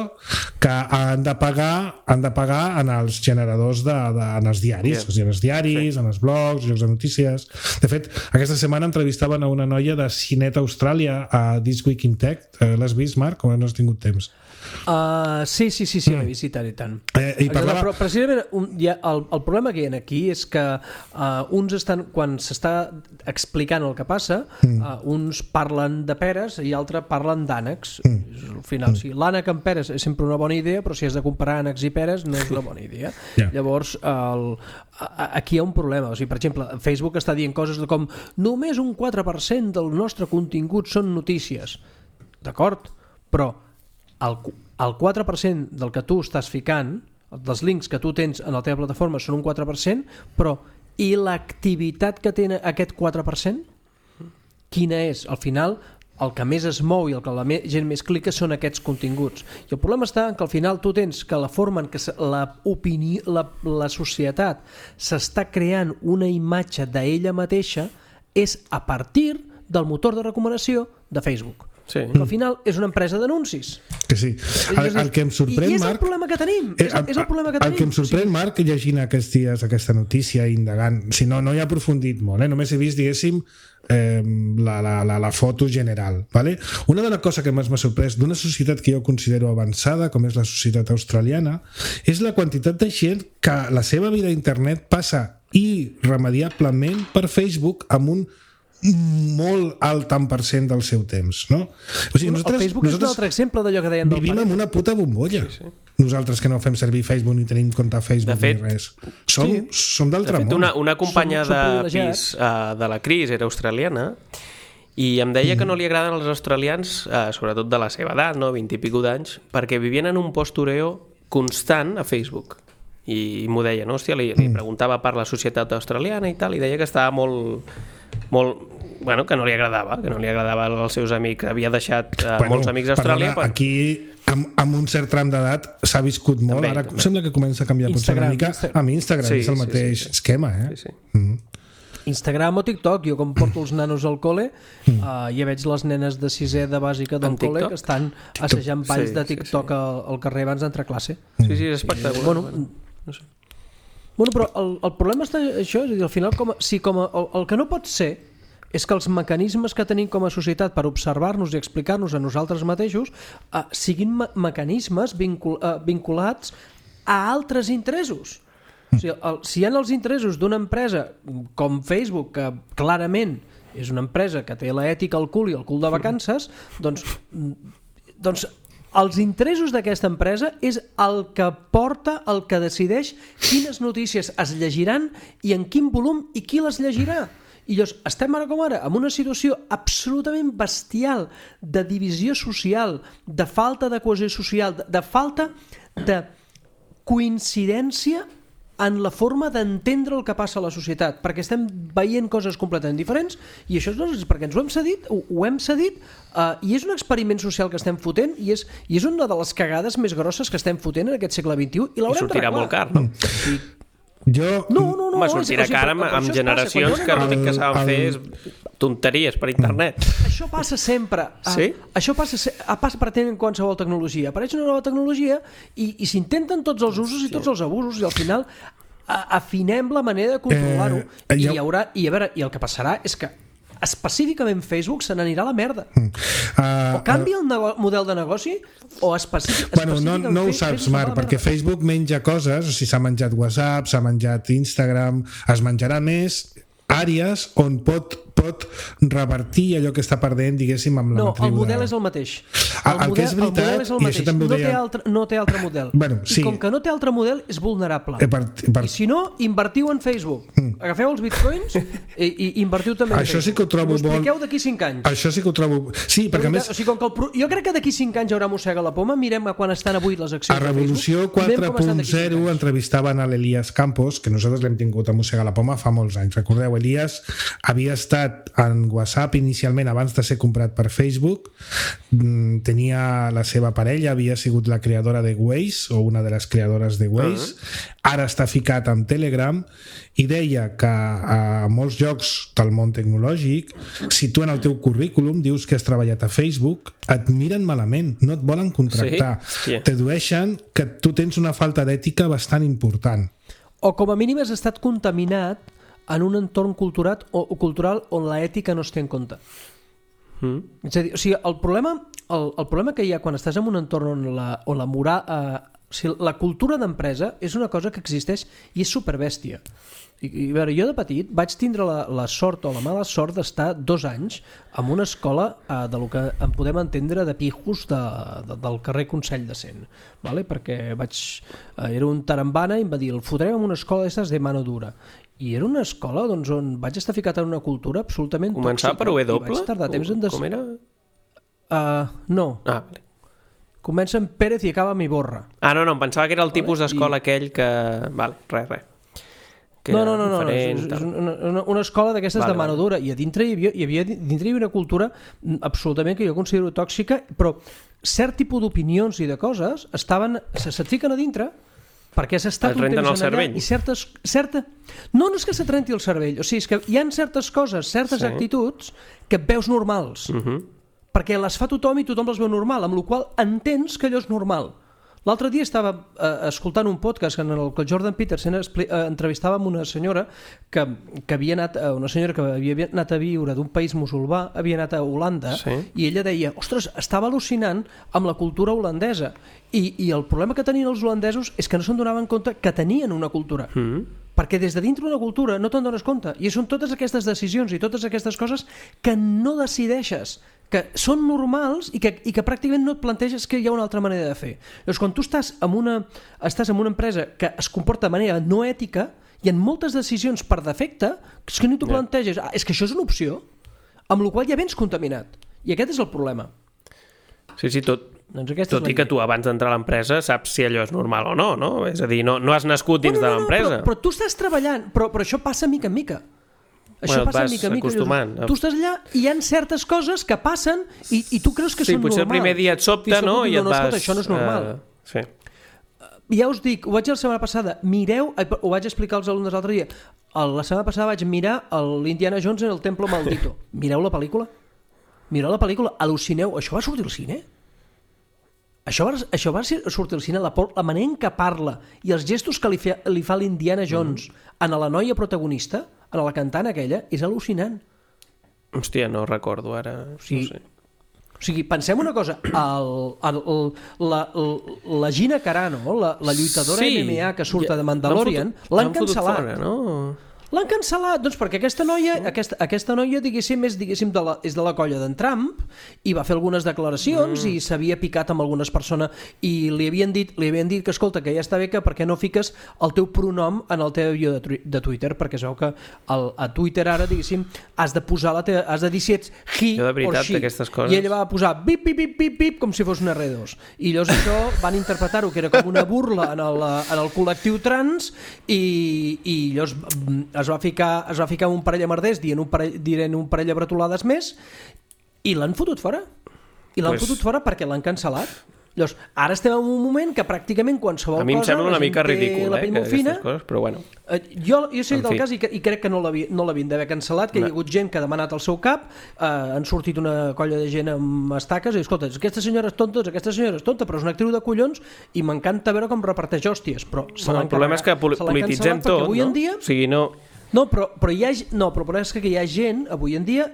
que han de pagar han de pagar en els generadors de, de, en els diaris, yeah. o sigui, en els diaris, sí. en els blogs, llocs de notícies. De fet, aquesta setmana entrevistaven a una noia de Cinet Austràlia a This Week in Tech. Eh, l'has vist, Marc, o no has tingut temps? Uh, sí, sí, sí, sí, mm. he vist i tant i tant. Eh, i parlava... Però precisament un, ja, el, el problema que hi ha aquí és que uh, uns estan, quan s'està explicant el que passa, mm. uh, uns parlen de peres i altres parlen d'ànecs. Mm. Al final, mm. sí, l'ànec amb peres és sempre una bona idea, però si has de comparar ànecs i peres no és una bona idea. Yeah. Llavors, el, aquí hi ha un problema. O sigui, per exemple, Facebook està dient coses de com només un quatre per cent del nostre contingut són notícies. D'acord? Però el, el quatre per cent del que tu estàs ficant, dels links que tu tens en la teva plataforma són un quatre per cent, però i l'activitat que té aquest quatre per cent? Quina és? Al final, el que més es mou i el que la gent més clica són aquests continguts. I el problema està en que al final tu tens que la forma en què la, opinió, la, la societat s'està creant una imatge d'ella mateixa és a partir del motor de recomanació de Facebook. Sí. Al final és una empresa d'anuncis. Que sí. El, el que em sorprèn, I és Marc, el problema que tenim. Eh, és, és el problema que el tenim. que em sorprèn, sí. Marc, llegint aquests dies aquesta notícia, indagant, si no, no hi ha aprofundit molt, eh? Només he vist, diguéssim, eh, la, la, la, la foto general. Vale? Una de les coses que més m'ha sorprès d'una societat que jo considero avançada, com és la societat australiana, és la quantitat de gent que la seva vida a internet passa irremediablement per Facebook amb un molt alt tant per cent del seu temps, no? O sigui, nosaltres, el Facebook és un altre exemple d'allò que deien del vivim en una puta bombolla. Sí, sí. Nosaltres que no fem servir Facebook ni tenim compte a Facebook de fet, ni res. Som, sí. som d'altre món. Una, una companya som, som de pis uh, de la Cris era australiana i em deia mm. que no li agraden els australians, uh, sobretot de la seva edat, no? vint i pico d'anys, perquè vivien en un postureo constant a Facebook. I m'ho deia, no? Hòstia, li, li preguntava per la societat australiana i tal, i deia que estava molt... molt, bueno, que no li agradava, que no li agradava als seus amics, havia deixat uh, bueno, molts amics a Austràlia. Perdona, per... Aquí, amb, amb un cert tram d'edat, s'ha viscut molt, també, ara també. Sembla que comença a canviar Instagram, una mica. Insta... Amb Instagram sí, és el sí, mateix sí, sí. esquema, eh? Sí, sí. Mm. Instagram o TikTok, jo com porto els nanos al cole mm. uh, ja veig les nenes de sisè de bàsica del col·le que estan TikTok. assajant balls sí, de TikTok sí, sí. Al, al carrer abans d'entrar a classe. Sí, sí, és espectacular. Bueno, no sé. Bueno, però el, el problema està això, és a dir, al final com a, si com a, el, el que no pot ser és que els mecanismes que tenim com a societat per observar-nos i explicar-nos a nosaltres mateixos eh, siguin me mecanismes vincul eh, vinculats a altres interessos. O sigui, el, si hi ha els interessos d'una empresa com Facebook, que clarament és una empresa que té l'ètica al cul i el cul de vacances, doncs, doncs els interessos d'aquesta empresa és el que porta, el que decideix quines notícies es llegiran i en quin volum i qui les llegirà. I llavors estem ara com ara en una situació absolutament bestial de divisió social, de falta de cohesió social, de, de falta de coincidència en la forma d'entendre el que passa a la societat, perquè estem veient coses completament diferents i això és perquè ens ho hem cedit, ho, ho hem cedit uh, i és un experiment social que estem fotent i és, i és una de les cagades més grosses que estem fotent en aquest segle vint-i-u i l'haurem d'arreglar. I sortirà molt car, no? Sí. Jo... No, no, no. Home, sortirà o sigui, cara amb, amb generacions passa, que l'únic que saben fer és tonteries per internet. Això passa sempre. Sí? Uh, això passa, passa per tenir en qualsevol tecnologia. Apareix una nova tecnologia i, i s'intenten tots els usos i tots els abusos i al final a, afinem la manera de controlar-ho. Eh, I, hi haurà, i, a veure, i el que passarà és que específicament Facebook se n'anirà a la merda. Mm. Uh, o canvia el nego- model de negoci o específic, bueno, no, no ho saps, Marc, perquè Facebook menja coses, o sigui, s'ha menjat WhatsApp, s'ha menjat Instagram, es menjarà més àrees on pot, pot revertir allò que està perdent, diguéssim, amb la no, matriu. No, el model és el mateix. El, el model, que és veritat, el model és el mateix. No, deia... té altre, no té altre model. Bueno, sí. I com que no té altre model, és vulnerable. Eh, per, per... I si no, invertiu en Facebook. Mm. Agafeu els bitcoins i, i invertiu també en Això Facebook. sí que ho trobo molt... Ho expliqueu d'aquí cinc anys. Això sí que ho trobo... Sí, perquè a més... O sigui, com que el pro... Jo crec que d'aquí cinc anys hi haurà mossega la poma, mirem a quan estan avui les accions a Revolució quatre punt zero entrevistaven a l'Elias Campos, que nosaltres l'hem tingut a mossega la poma fa molts anys. Recordeu, Elias havia estat en WhatsApp inicialment abans de ser comprat per Facebook, tenia la seva parella, havia sigut la creadora de Waze o una de les creadores de Waze, uh-huh. Ara està ficat amb Telegram i deia que a molts llocs del món tecnològic, si tu en el teu currículum dius que has treballat a Facebook, et miren malament, no et volen contractar, sí? Yeah. T'adueixen que tu tens una falta d'ètica bastant important. O com a mínim has estat contaminat en un entorn cultural, o, cultural on l'ètica no es té en compte. Mm. És a dir, o sigui, el problema, el, el problema que hi ha quan estàs en un entorn on la, on la moral... Eh, o sigui, la cultura d'empresa és una cosa que existeix i és superbèstia. I, i a veure, jo de petit vaig tindre la, la sort o la mala sort d'estar dos anys en una escola eh, de lo que en podem entendre de pijos de, de, del carrer Consell de Cent, vale? Perquè vaig, eh, era un tarambana i em va dir, el fotrem en una escola d'estes de mano dura. I era una escola doncs, on vaig estar ficat en una cultura absolutament Començava tòxica. Començava per W? Vaig tardar temps en des... Com era? Uh, no. Ah, vale. Comença amb Pérez i acaba amb Iborra. Ah, no, no, em pensava que era el tipus d'escola I... aquell que... Vale, res, res. Que no, no, no, no, és, és una, una, una escola d'aquestes vale, de mano dura, i a dintre hi havia, hi havia, dintre hi havia una cultura absolutament que jo considero tòxica, però cert tipus d'opinions i de coses estaven, se, se't fiquen a dintre perquè has estat un temps en allà i certes, certa... No, no és que se trenti el cervell, o sigui, és que hi ha certes coses, certes sí. actituds que et veus normals, uh-huh. perquè les fa tothom i tothom les veu normal, amb la qual cosa entens que allò és normal. L'altre dia estava eh, escoltant un podcast en el que el Jordan Peterson expli- eh, entrevistava amb una senyora que, que havia anat, eh, una senyora que havia anat a viure d'un país musulmà, havia anat a Holanda, sí. i ella deia, ostres, estava al·lucinant amb la cultura holandesa, i, i el problema que tenien els holandesos és que no se'n donaven compte que tenien una cultura. Mm. Perquè des de dintre d'una cultura no te'n dones compte, i són totes aquestes decisions i totes aquestes coses que no decideixes, que són normals i que, i que pràcticament no et planteges que hi ha una altra manera de fer. Llavors, quan tu estàs en una, estàs en una empresa que es comporta de manera no ètica, hi ha moltes decisions per defecte que, que no t'ho planteges. Ah, és que això és una opció, amb la qual ja vens contaminat. I aquest és el problema. Sí, sí, tot, doncs tot i que tu abans d'entrar a l'empresa saps si allò és normal o no, no? És a dir, no, no has nascut dins no, no, no, de l'empresa. Però, però tu estàs treballant, però, però això passa mica en mica. Això bueno, passa mica a mica. Acostumant. Tu estàs allà i hi ha certes coses que passen i, i tu creus que sí, són normals. Sí, potser el primer dia et sobta, no? I et no, vas... Escolta, això no és normal. Uh, sí. Ja us dic, ho vaig dir la setmana passada, mireu, ho vaig explicar als alumnes l'altre dia, la setmana passada vaig mirar l'Indiana Jones en el Templo Maldito. Mireu la pel·lícula. Mireu la pel·lícula, al·lucineu. Això va sortir al cine? Això va, això va sortir al cine, la, la manera en què parla i els gestos que li fa, li fa l'Indiana Jones mm. a la noia protagonista, a la cantant aquella, és al·lucinant. Hòstia, no recordo ara, o sigui, no sé. O sigui, pensem una cosa, el, el, el, la, la Gina Carano, la, la lluitadora sí, M M A que surt ja, de Mandalorian, l'han cancel·lat. Fora, no? L'han cancel·lat, doncs perquè aquesta noia, aquesta, aquesta noia diguéssim, és, diguéssim, de la, és de la colla d'en Trump i va fer algunes declaracions mm. i s'havia picat amb algunes persones i li havien dit, li havien dit que, escolta, que ja està bé que per què no fiques el teu pronom en el teu bio de, de Twitter, perquè es veu que el, a Twitter ara, diguéssim, has de posar la teva, has de dir si ets he jo de veritat, or she. Coses... I ella va posar bip, bip, bip, bip, bip, com si fos un erre dos. I llavors això van interpretar-ho que era com una burla en el, en el col·lectiu trans i, i llavors es va ficar, es va ficar un parell de merders dient un parell, dient un parell de bretolades més i l'han fotut fora. I l'han pues... fotut fora perquè l'han cancel·lat. Llavors, ara estem en un moment que pràcticament qualsevol cosa... A mi em sembla una mica ridícul, eh, que aquestes coses, però bueno. Eh, jo, jo sé del cas i, i crec que no l'havien no d'haver cancel·lat, que no. Hi ha hagut gent que ha demanat el seu cap, eh, han sortit una colla de gent amb estaques i, escolta, aquesta senyora és tonta, aquesta senyora és tonta, però és una actriu de collons i m'encanta veure com reparteix hòsties, però se bueno, el problema és que pol- polititzem tot, avui no? en dia... O sigui, no... No, però, però, hi ha, no, però és que hi ha gent, avui en dia,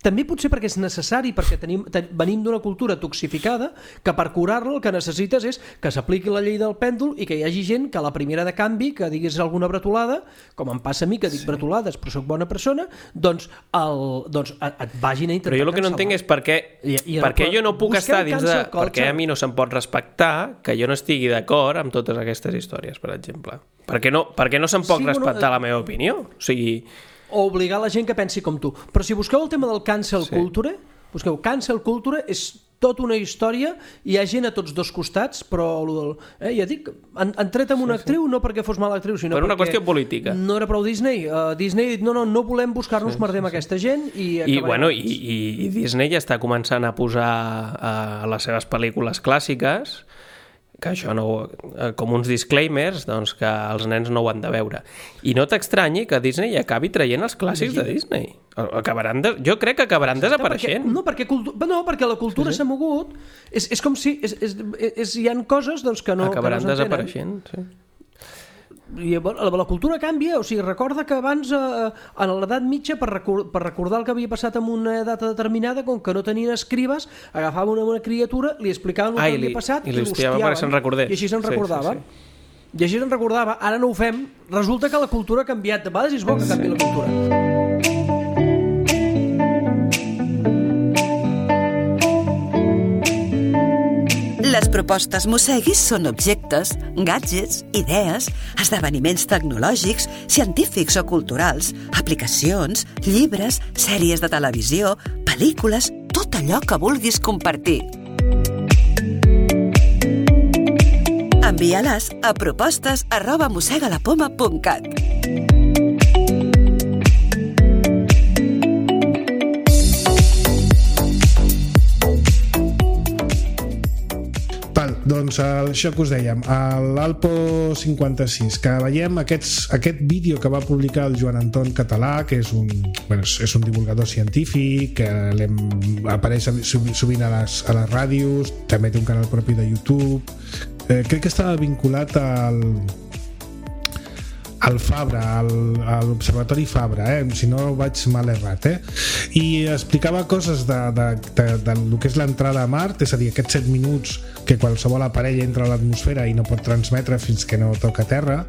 també potser perquè és necessari, perquè tenim, ten, venim d'una cultura toxificada, que per curar-la el que necessites és que s'apliqui la llei del pèndol i que hi hagi gent que a la primera de canvi, que diguis alguna bretolada, com em passa a mi, que dic sí. bretolades però sóc bona persona, doncs, el, doncs et vagin a intentar però jo el que no entenc és per què, I, i per què jo no puc estar dins de... Per què a mi no se'm pot respectar que jo no estigui d'acord amb totes aquestes històries, per exemple. Per què no, per què no se'm pot sí, respectar bueno, la meva opinió? O sigui... o obligar la gent que pensi com tu. Però si busqueu el tema del cancel sí. culture, busqueu cancel culture, és tota una història, hi ha gent a tots dos costats, però eh, ja dic, han, han tret amb una sí, actriu sí. no perquè fos mala actriu, sinó per una perquè qüestió política. No era prou Disney. Uh, Disney ha dit, no, no, no volem buscar-nos sí, merdem sí, sí. aquesta gent i... I, bueno, i, i, i Disney ja està començant a posar uh, a les seves pel·lícules clàssiques que això no, com uns disclaimers doncs que els nens no ho han de veure. I no t'extranyi que Disney acabi traient els clàssics de Disney. Acabaran de, jo crec que acabaran Exacte, desapareixent. Perquè, no, perquè cultu, no, perquè la cultura s'ha sí, sí. mogut. És, és com si... És, és, és, hi ha coses doncs, que no acabaran que no desapareixent, sí. I la, la cultura canvia, o sigui, recorda que abans eh, en l'edat mitja per, record, per recordar el que havia passat en una data determinada, com que no tenien escribes, agafaven una, una criatura, li explicaven el Ai, que havia passat i, i l'hostiaven se'n recordés. I així se'n sí, recordava. Sí, sí. I així se'n recordava. Ara no ho fem. Resulta que la cultura ha canviat. De vegades és bo que canvi la cultura. Les propostes Mosseguis són objectes, gadgets, idees, esdeveniments tecnològics, científics o culturals, aplicacions, llibres, sèries de televisió, pel·lícules, tot allò que vulguis compartir. Envia-les a propostes arroba mossegalapoma punt cat. Doncs això que us dèiem, l'Alpo cinquanta-sis, que veiem aquests, aquest vídeo que va publicar el Joan Anton Català, que és un, bueno, és un divulgador científic, que apareix sovint a les, a les ràdios, també té un canal propi de YouTube. Eh, crec que estava vinculat al al Fabra, al, a l'Observatori Fabra, eh? Si no vaig mal errat, eh? I explicava coses de, de, de, de lo que és l'entrada a Mart, és a dir, aquests set minuts que qualsevol aparell entra a l'atmosfera i no pot transmetre fins que no toca terra,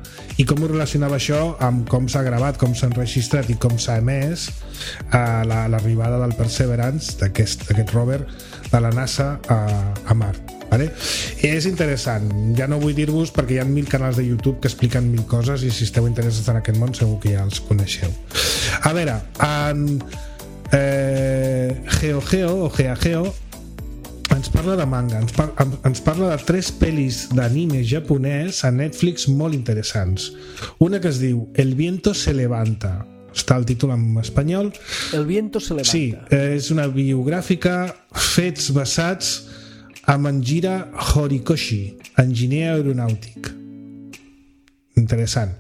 i com ho relacionava això amb com s'ha gravat, com s'ha enregistrat i com s'ha emès a l'arribada del Perseverance, d'aquest rover de la NASA a, a Mart. Vale? És interessant, ja no vull dir-vos perquè hi ha mil canals de YouTube que expliquen mil coses i si esteu interessats en aquest món segur que ja els coneixeu. A veure, en eh, GeoGeo o GeaGeo ens parla de manga, ens, par ens parla de tres pel·lis d'anime japonès a Netflix molt interessants. Una que es diu El viento se levanta, està el títol en espanyol. El viento se levanta. Sí, és una biogràfica, fets basats amb Anjira Horikoshi, enginyer aeronàutic. Interessant.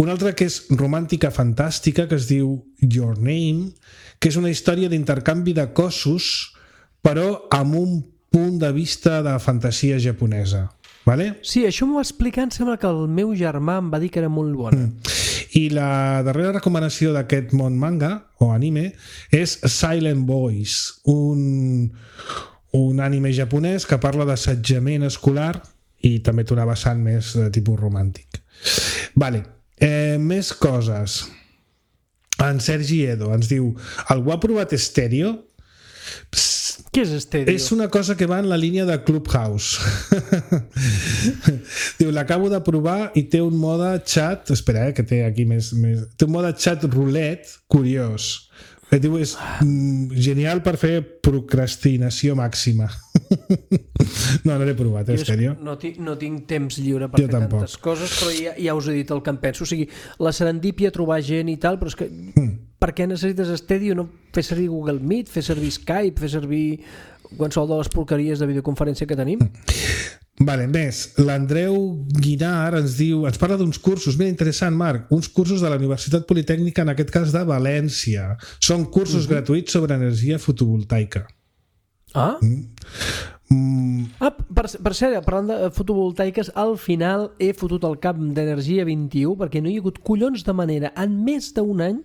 Una altra que és romàntica fantàstica, que es diu Your Name, que és una història d'intercanvi de cossos, però amb un punt de vista de fantasia japonesa. Vale? Sí, això m'ho va explicar, em sembla que el meu germà em va dir que era molt bona. Mm. I la darrera recomanació d'aquest món manga, o anime, és Silent Boys, un... un anime japonès que parla d'assetjament escolar i també té una vessant més de tipus romàntic. Vale. Eh, més coses. En Sergi Edo ens diu: algú ha provat Stereo? Psst, què és Stereo? És una cosa que va en la línia de Clubhouse. Diu, l'acabo de provar i té un mode chat, espera, eh, que té aquí més, més... té un mode chat roulette curiós. Diu, és mm, genial per fer procrastinació màxima. No, no l'he provat, eh, Stereo. No, no tinc temps lliure per jo fer tampoc. Tantes coses, però ja, ja us he dit el que em penso. O sigui, la serendípia, trobar gent i tal, però és que mm. per què necessites Stereo? No fer servir Google Meet, fer servir Skype, fer servir qualsevol de les porqueries de videoconferència que tenim? Mm. Vale, més, l'Andreu Guinar ens diu, ens parla d'uns cursos, mira, interessant, Marc, uns cursos de la Universitat Politècnica, en aquest cas de València. Són cursos uh-huh. gratuïts sobre energia fotovoltaica. Ah? Mm. Mm. Ah, per, per cert, parlant de fotovoltaiques, al final he fotut el cap d'Energia vint-i-u perquè no hi ha hagut collons de manera en més d'un any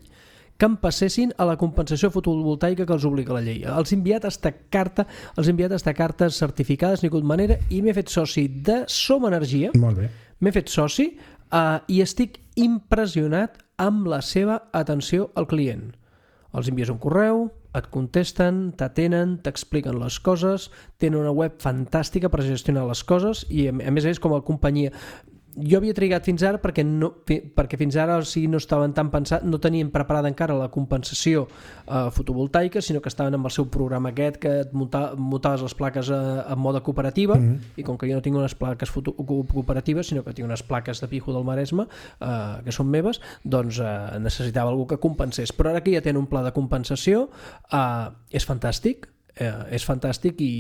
que em passessin a la compensació fotovoltaica que els obliga la llei. Els he enviat hasta carta, els he enviat hasta cartes certificades, n'hi ha hagut manera, i m'he fet soci de Som Energia. Molt bé. M'he fet soci uh, i estic impressionat amb la seva atenció al client. Els envies un correu, et contesten, t'atenen, t'expliquen les coses, tenen una web fantàstica per gestionar les coses i a més a més com a companyia. Jo havia trigat fins ara perquè, no, perquè fins ara o sigui, no estaven tan pensats, no tenien preparada encara la compensació eh, fotovoltaica, sinó que estaven amb el seu programa aquest que et munta, muntaves les plaques eh, en mode cooperativa, mm-hmm. i com que jo no tinc unes plaques foto, cooperatives, sinó que tinc unes plaques de Pijo del Maresme eh, que són meves, doncs eh, necessitava algú que compensés. Però ara que ja tenen un pla de compensació, eh, és fantàstic, eh, és fantàstic i...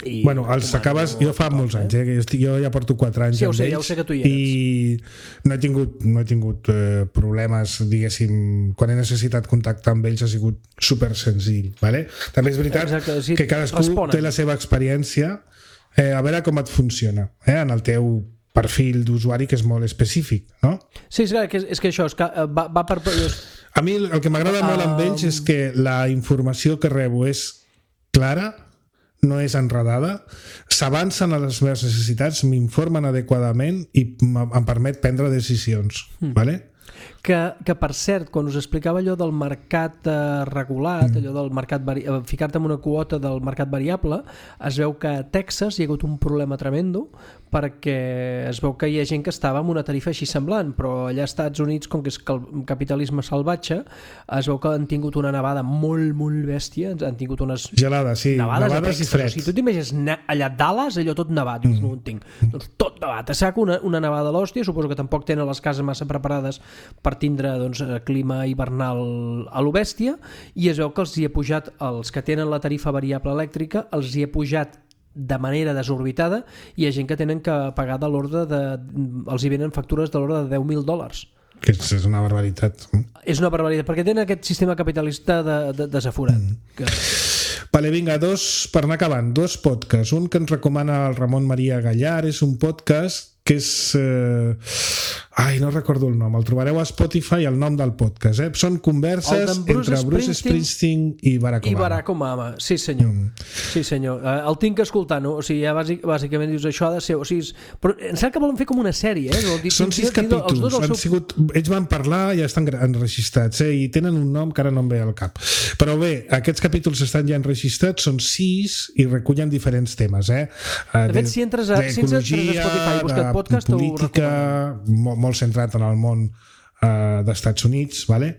I bueno, els acabes, jo fa molts anys, eh? Jo, estic, jo ja porto quatre anys sí, amb sé, ells ja ho sé que tu hi eres. I no he tingut, no he tingut eh, problemes, diguéssim, quan he necessitat contactar amb ells ha sigut super senzill, vale? També és veritat Exacte, sí, que cadascú responen. Té la seva experiència, eh, a veure com et funciona, eh? En el teu perfil d'usuari que és molt específic, no? Sí, és que, és que això és que va, va per... A mi el que m'agrada uh, molt amb ells és que la informació que rebo és clara, no és enredada, s'avancen a les meves necessitats, m'informen adequadament i em permet prendre decisions. Mm. Vale? Que, que per cert, quan us explicava allò del mercat eh, regulat, mm. allò del mercat vari... ficar-te en una quota del mercat variable, es veu que a Texas hi ha hagut un problema tremendo perquè es veu que hi ha gent que estava amb una tarifa així semblant, però allà als Estats Units, com que és el capitalisme salvatge, es veu que han tingut una nevada molt, molt bèstia, han tingut unes gelada, sí, nevades, nevades i fred. O sigui, tu t'imagines allà a Dallas, allò tot nevat, mm. no ho entenc. Doncs tot nevat, a sac una, una nevada a l'hòstia, suposo que tampoc tenen les cases massa preparades per tindre doncs, clima hivernal a lo bèstia, i es veu que els hi ha pujat, els que tenen la tarifa variable elèctrica, els hi ha pujat de manera desorbitada, i hi ha gent que tenen que pagar de l'ordre de... els hi venen factures de l'ordre de deu mil dòlars. Que és una barbaritat. És una barbaritat, perquè tenen aquest sistema capitalista de, de, desaforat. Mm. Que... Vale, vinga, dos, per anar acabant, dos podcasts. Un que ens recomana el Ramon Maria Gallar, és un podcast que és... Eh... Ai, no recordo el nom. El trobareu a Spotify, el nom del podcast. Eh? Són converses Bruce entre Bruce Springsteen i Barack Obama. I Barack Obama, sí senyor. Mm. Sí senyor. El tinc que escoltar, no? O sigui, ja bàsic, bàsicament dius això ha de ser... O sigui, però em sembla que volen fer com una sèrie, eh? Dir, Són sis capítols. Els dos han seu... sigut... Ells van parlar i ja estan enregistrats, eh? I tenen un nom que ara no em ve al cap. Però bé, aquests capítols estan ja enregistrats, són sis i recullen diferents temes, eh? De fet, si entres a, si entres a Spotify i busques podcast, política, molt, molt centrat en el món uh, d'Estats Units, vale?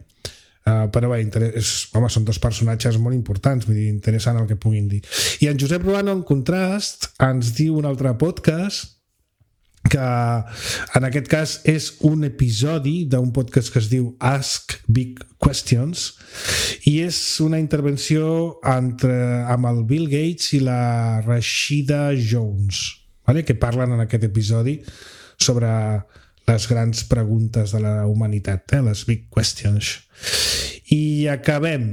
Uh, però bé, és, home, són dos personatges molt importants, vull dir, interessant el que puguin dir. I en Josep Ruano, en contrast, ens diu un altre podcast que en aquest cas és un episodi d'un podcast que es diu Ask Big Questions, i és una intervenció entre, amb el Bill Gates i la Rashida Jones, vale? Que parlen en aquest episodi sobre les grans preguntes de la humanitat, eh? Les big questions. I acabem.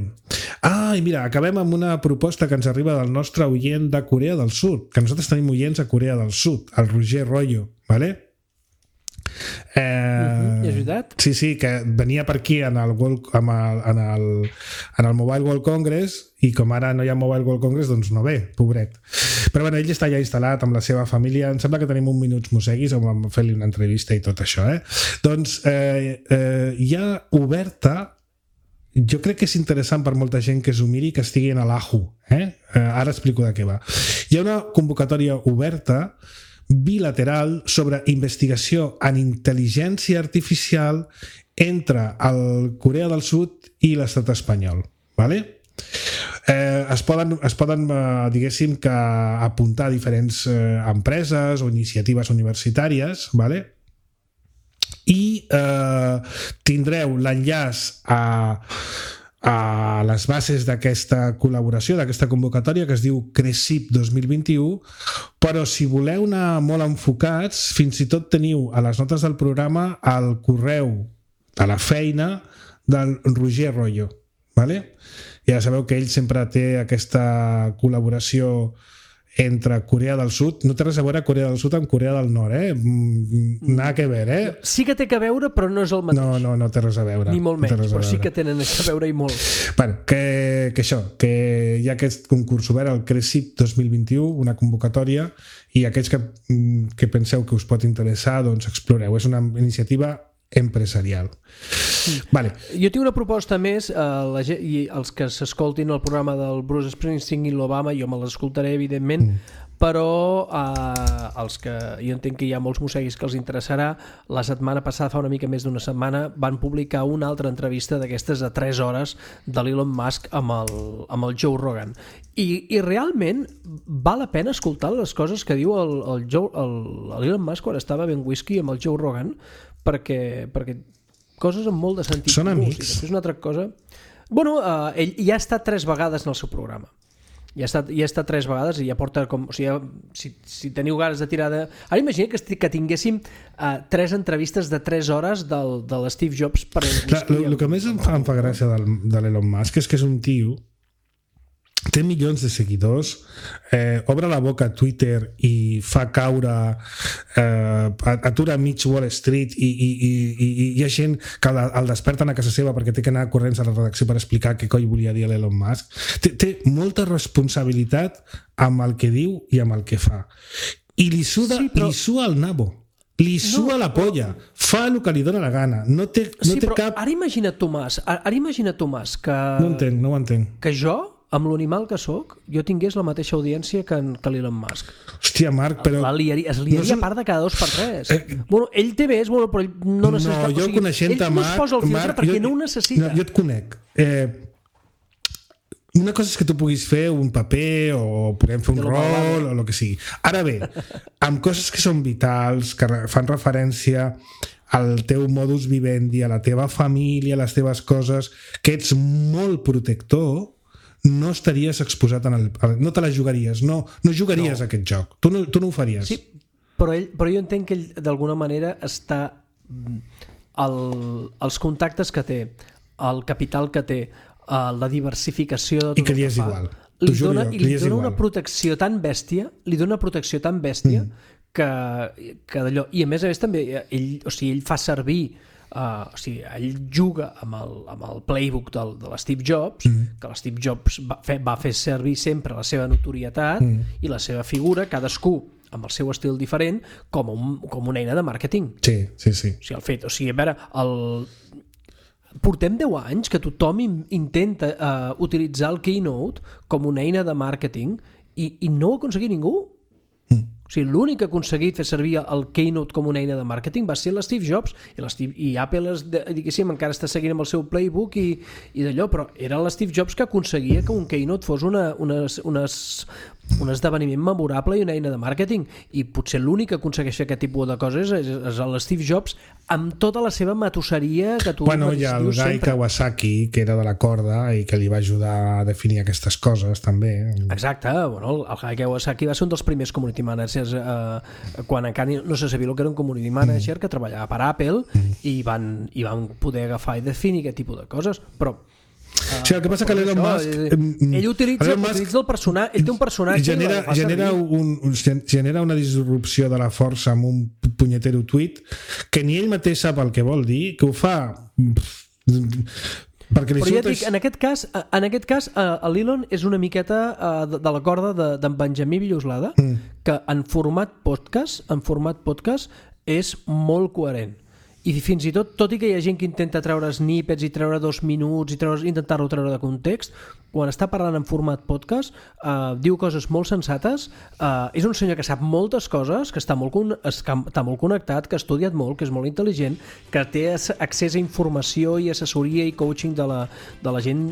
Ah, i mira, acabem amb una proposta que ens arriba del nostre oient de Corea del Sud, que nosaltres tenim oients a Corea del Sud, el Roger Rollo, vale? Eh, uh-huh, és veritat? Sí, sí, que venia per aquí en el, World, en, el, en, el, en el Mobile World Congress, i com ara no hi ha Mobile World Congress, doncs no ve, pobret. Però bueno, ell està ja instal·lat amb la seva família. Em sembla que tenim un minuts moseguis on vam fer-li una entrevista i tot això, eh? Doncs eh, eh, hi ha oberta, jo crec que és interessant per molta gent que s'ho miri, que estigui en l'Ahu, eh? eh? Ara explico de què va. Hi ha una convocatòria oberta bilateral sobre investigació en intel·ligència artificial entre el Corea del Sud i l'estat espanyol, vale? Eh, es poden, es poden eh, diguéssim que apuntar a diferents eh, empreses o iniciatives universitàries, vale? I eh, tindreu l'enllaç a a les bases d'aquesta col·laboració, d'aquesta convocatòria, que es diu CRECIP dos mil vint-i-u, però si voleu anar molt enfocats, fins i tot teniu a les notes del programa el correu de la feina del Roger Rollo, vale? Ja sabeu que ell sempre té aquesta col·laboració entre Corea del Sud, no té res a veure Corea del Sud amb Corea del Nord, eh? Nada que ver, eh? Sí que té que veure, però no és el mateix. No, no, no té res a veure. Ni molt menys, no però sí que tenen a veure i molt. Bueno, que, que això, que hi ha aquest concurs obert, el CRESIP dos mil vint-i-u, una convocatòria, i aquells que, que penseu que us pot interessar, doncs exploreu. És una iniciativa empresarial. Vale. Jo tinc una proposta més, eh, la gent, i els que s'escoltin el programa del Bruce Springsteen i l'Obama, jo me l'escoltaré evidentment, mm. però eh, els que jo entenc que hi ha molts mosseguis que els interessarà, la setmana passada, fa una mica més d'una setmana, van publicar una altra entrevista d'aquestes de tres hores de l'Elon Musk amb el, amb el Joe Rogan. I, i realment val la pena escoltar les coses que diu el, el Joe, el, l'Elon Musk quan estava ben whisky amb el Joe Rogan, perquè, perquè coses amb molt de sentit. Són amics. I després una altra cosa... Bueno, uh, ell ja ha estat tres vegades en el seu programa. Ja ha estat, ja ha estat tres vegades i ja porta com... O sigui, ja, si, si teniu ganes de tirar de... Ara imagina que, que tinguéssim uh, tres entrevistes de tres hores del, de l'Steve Jobs per... El que més em fa, em fa gràcia del, de l'Elon Musk és que és un tio, té milions de seguidors, eh, obre la boca a Twitter i fa caure, eh, atura mig Wall Street i, i, i, i hi ha gent que el, el desperten a casa seva perquè té que anar corrents a la redacció per explicar què coi volia dir l'Elon Musk. Té, té molta responsabilitat amb el que diu i amb el que fa. I li suda, sí, però... li sua el nabo. Li sua no, la polla, fa el que li dóna la gana, no té, no sí, té però cap... Ara imagina't, Tomàs, ara imagina't, Tomàs, que... No entenc, no ho entenc. Que jo, amb l'animal que sóc, jo tingués la mateixa audiència que, en, que l'Elon Musk. Hòstia, Marc, però... La liaria, es liaria no són... a part de cada dos per tres. Eh... Bueno, ell té més, bueno, però ell no necessita... No, jo o sigui, coneixent-te, Marc... Ell no es posa el filtre Marc, perquè jo, no ho necessita. No, jo et conec. Eh, una cosa és que tu puguis fer un paper o podem fer un rol o el que sigui. Ara bé, amb coses que són vitals, que fan referència al teu modus vivendi, a la teva família, a les teves coses, que ets molt protector, no estaries exposat en el... no te la jugaries, no, no jugaries no. a aquest joc, tu no, tu no ho faries. Sí, però, ell, però jo entenc que ell d'alguna manera està el, els contactes que té, el capital que té, la diversificació de tot i que li és que igual, li dona, i li dona una protecció tan bèstia, li dona una protecció tan bèstia mm. que, que d'allò, i a més a més també ell, o sigui, ell fa servir Uh, o sigui, ell juga amb el, amb el playbook del, de l'Steve Jobs, mm. que l'Steve Jobs va fer, va fer servir sempre la seva notorietat mm. i la seva figura, cadascú amb el seu estil diferent, com, un, com una eina de màrqueting. Sí, sí, sí. O sigui, el fet, o sigui, a veure, el... portem deu anys que tothom intenta uh, utilitzar el Keynote com una eina de màrqueting i, i no ho ha aconseguit ningú. Mm. O sigui, l'únic que ha aconseguit fer servir el Keynote com una eina de màrqueting va ser l'Steve Jobs i, l'Steve, i Apple es, diguéssim, encara està seguint amb el seu playbook i, i d'allò, però era l'Steve Jobs que aconseguia que un Keynote fos una, unes, unes, un esdeveniment memorable i una eina de màrqueting, i potser l'únic que aconsegueix fer aquest tipus de coses és, és l'Steve Jobs amb tota la seva matusseria que tu bueno, hi ha el Guy sempre. Kawasaki, que era de la corda i que li va ajudar a definir aquestes coses també. Exacte, bueno, el Guy Kawasaki va ser un dels primers community managers eh, quan encara no se sabia el que era un community manager mm. que treballava per Apple mm. i, van, i van poder agafar i definir aquest tipus de coses, però Uh, sí, el que passa que l'Elon Musk ell, ell utilitza, Musk, utilitza el personatge, ell té un personatge genera, genera, un, genera una disrupció de la força amb un punyetero tuit que ni ell mateix sap el que vol dir, que ho fa perquè li però ja dic, en aquest cas, en aquest cas l'Elon és una miqueta de, de la corda d'en de, Benjamí Villoslada mm. que en format podcast en format podcast és molt coherent. I fins i tot, tot i que hi ha gent que intenta treure snippets i treure dos minuts i treure, intentar-lo treure de context, quan està parlant en format podcast uh, diu coses molt sensates, uh, és un senyor que sap moltes coses, que està molt, con- està molt connectat, que ha estudiat molt, que és molt intel·ligent, que té accés a informació i assessoria i coaching de la, de la gent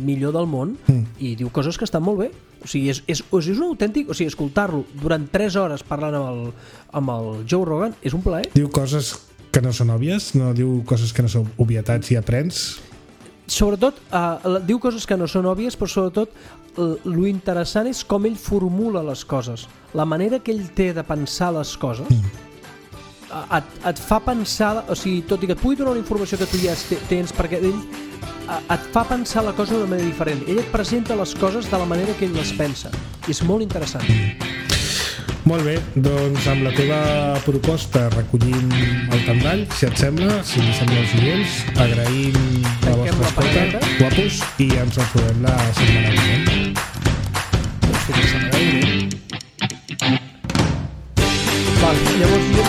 millor del món mm. i diu coses que estan molt bé. O sigui, és, és, és un autèntic, o sigui, escoltar-lo durant tres hores parlant amb el, amb el Joe Rogan és un plaer. Diu coses que no són òbvies, no diu coses que no són obvietats i aprens. Sobretot, uh, diu coses que no són òbvies, però sobretot uh, lo interessant és com ell formula les coses, la manera que ell té de pensar les coses mm. uh, et, et fa pensar, o sigui, tot i que et pugui donar una informació que tu ja tens, perquè ell et fa pensar la cosa d'una manera diferent. Ell et presenta les coses de la manera que ell les pensa. I és molt interessant. Molt bé, doncs amb la teva proposta recollim el tandall, si et sembla, si li sembla als oients, agraïm la vostra escolta, guapos, i ens retrobem la setmana vinent. Doncs fins la setmana vinent. Val, llavors jo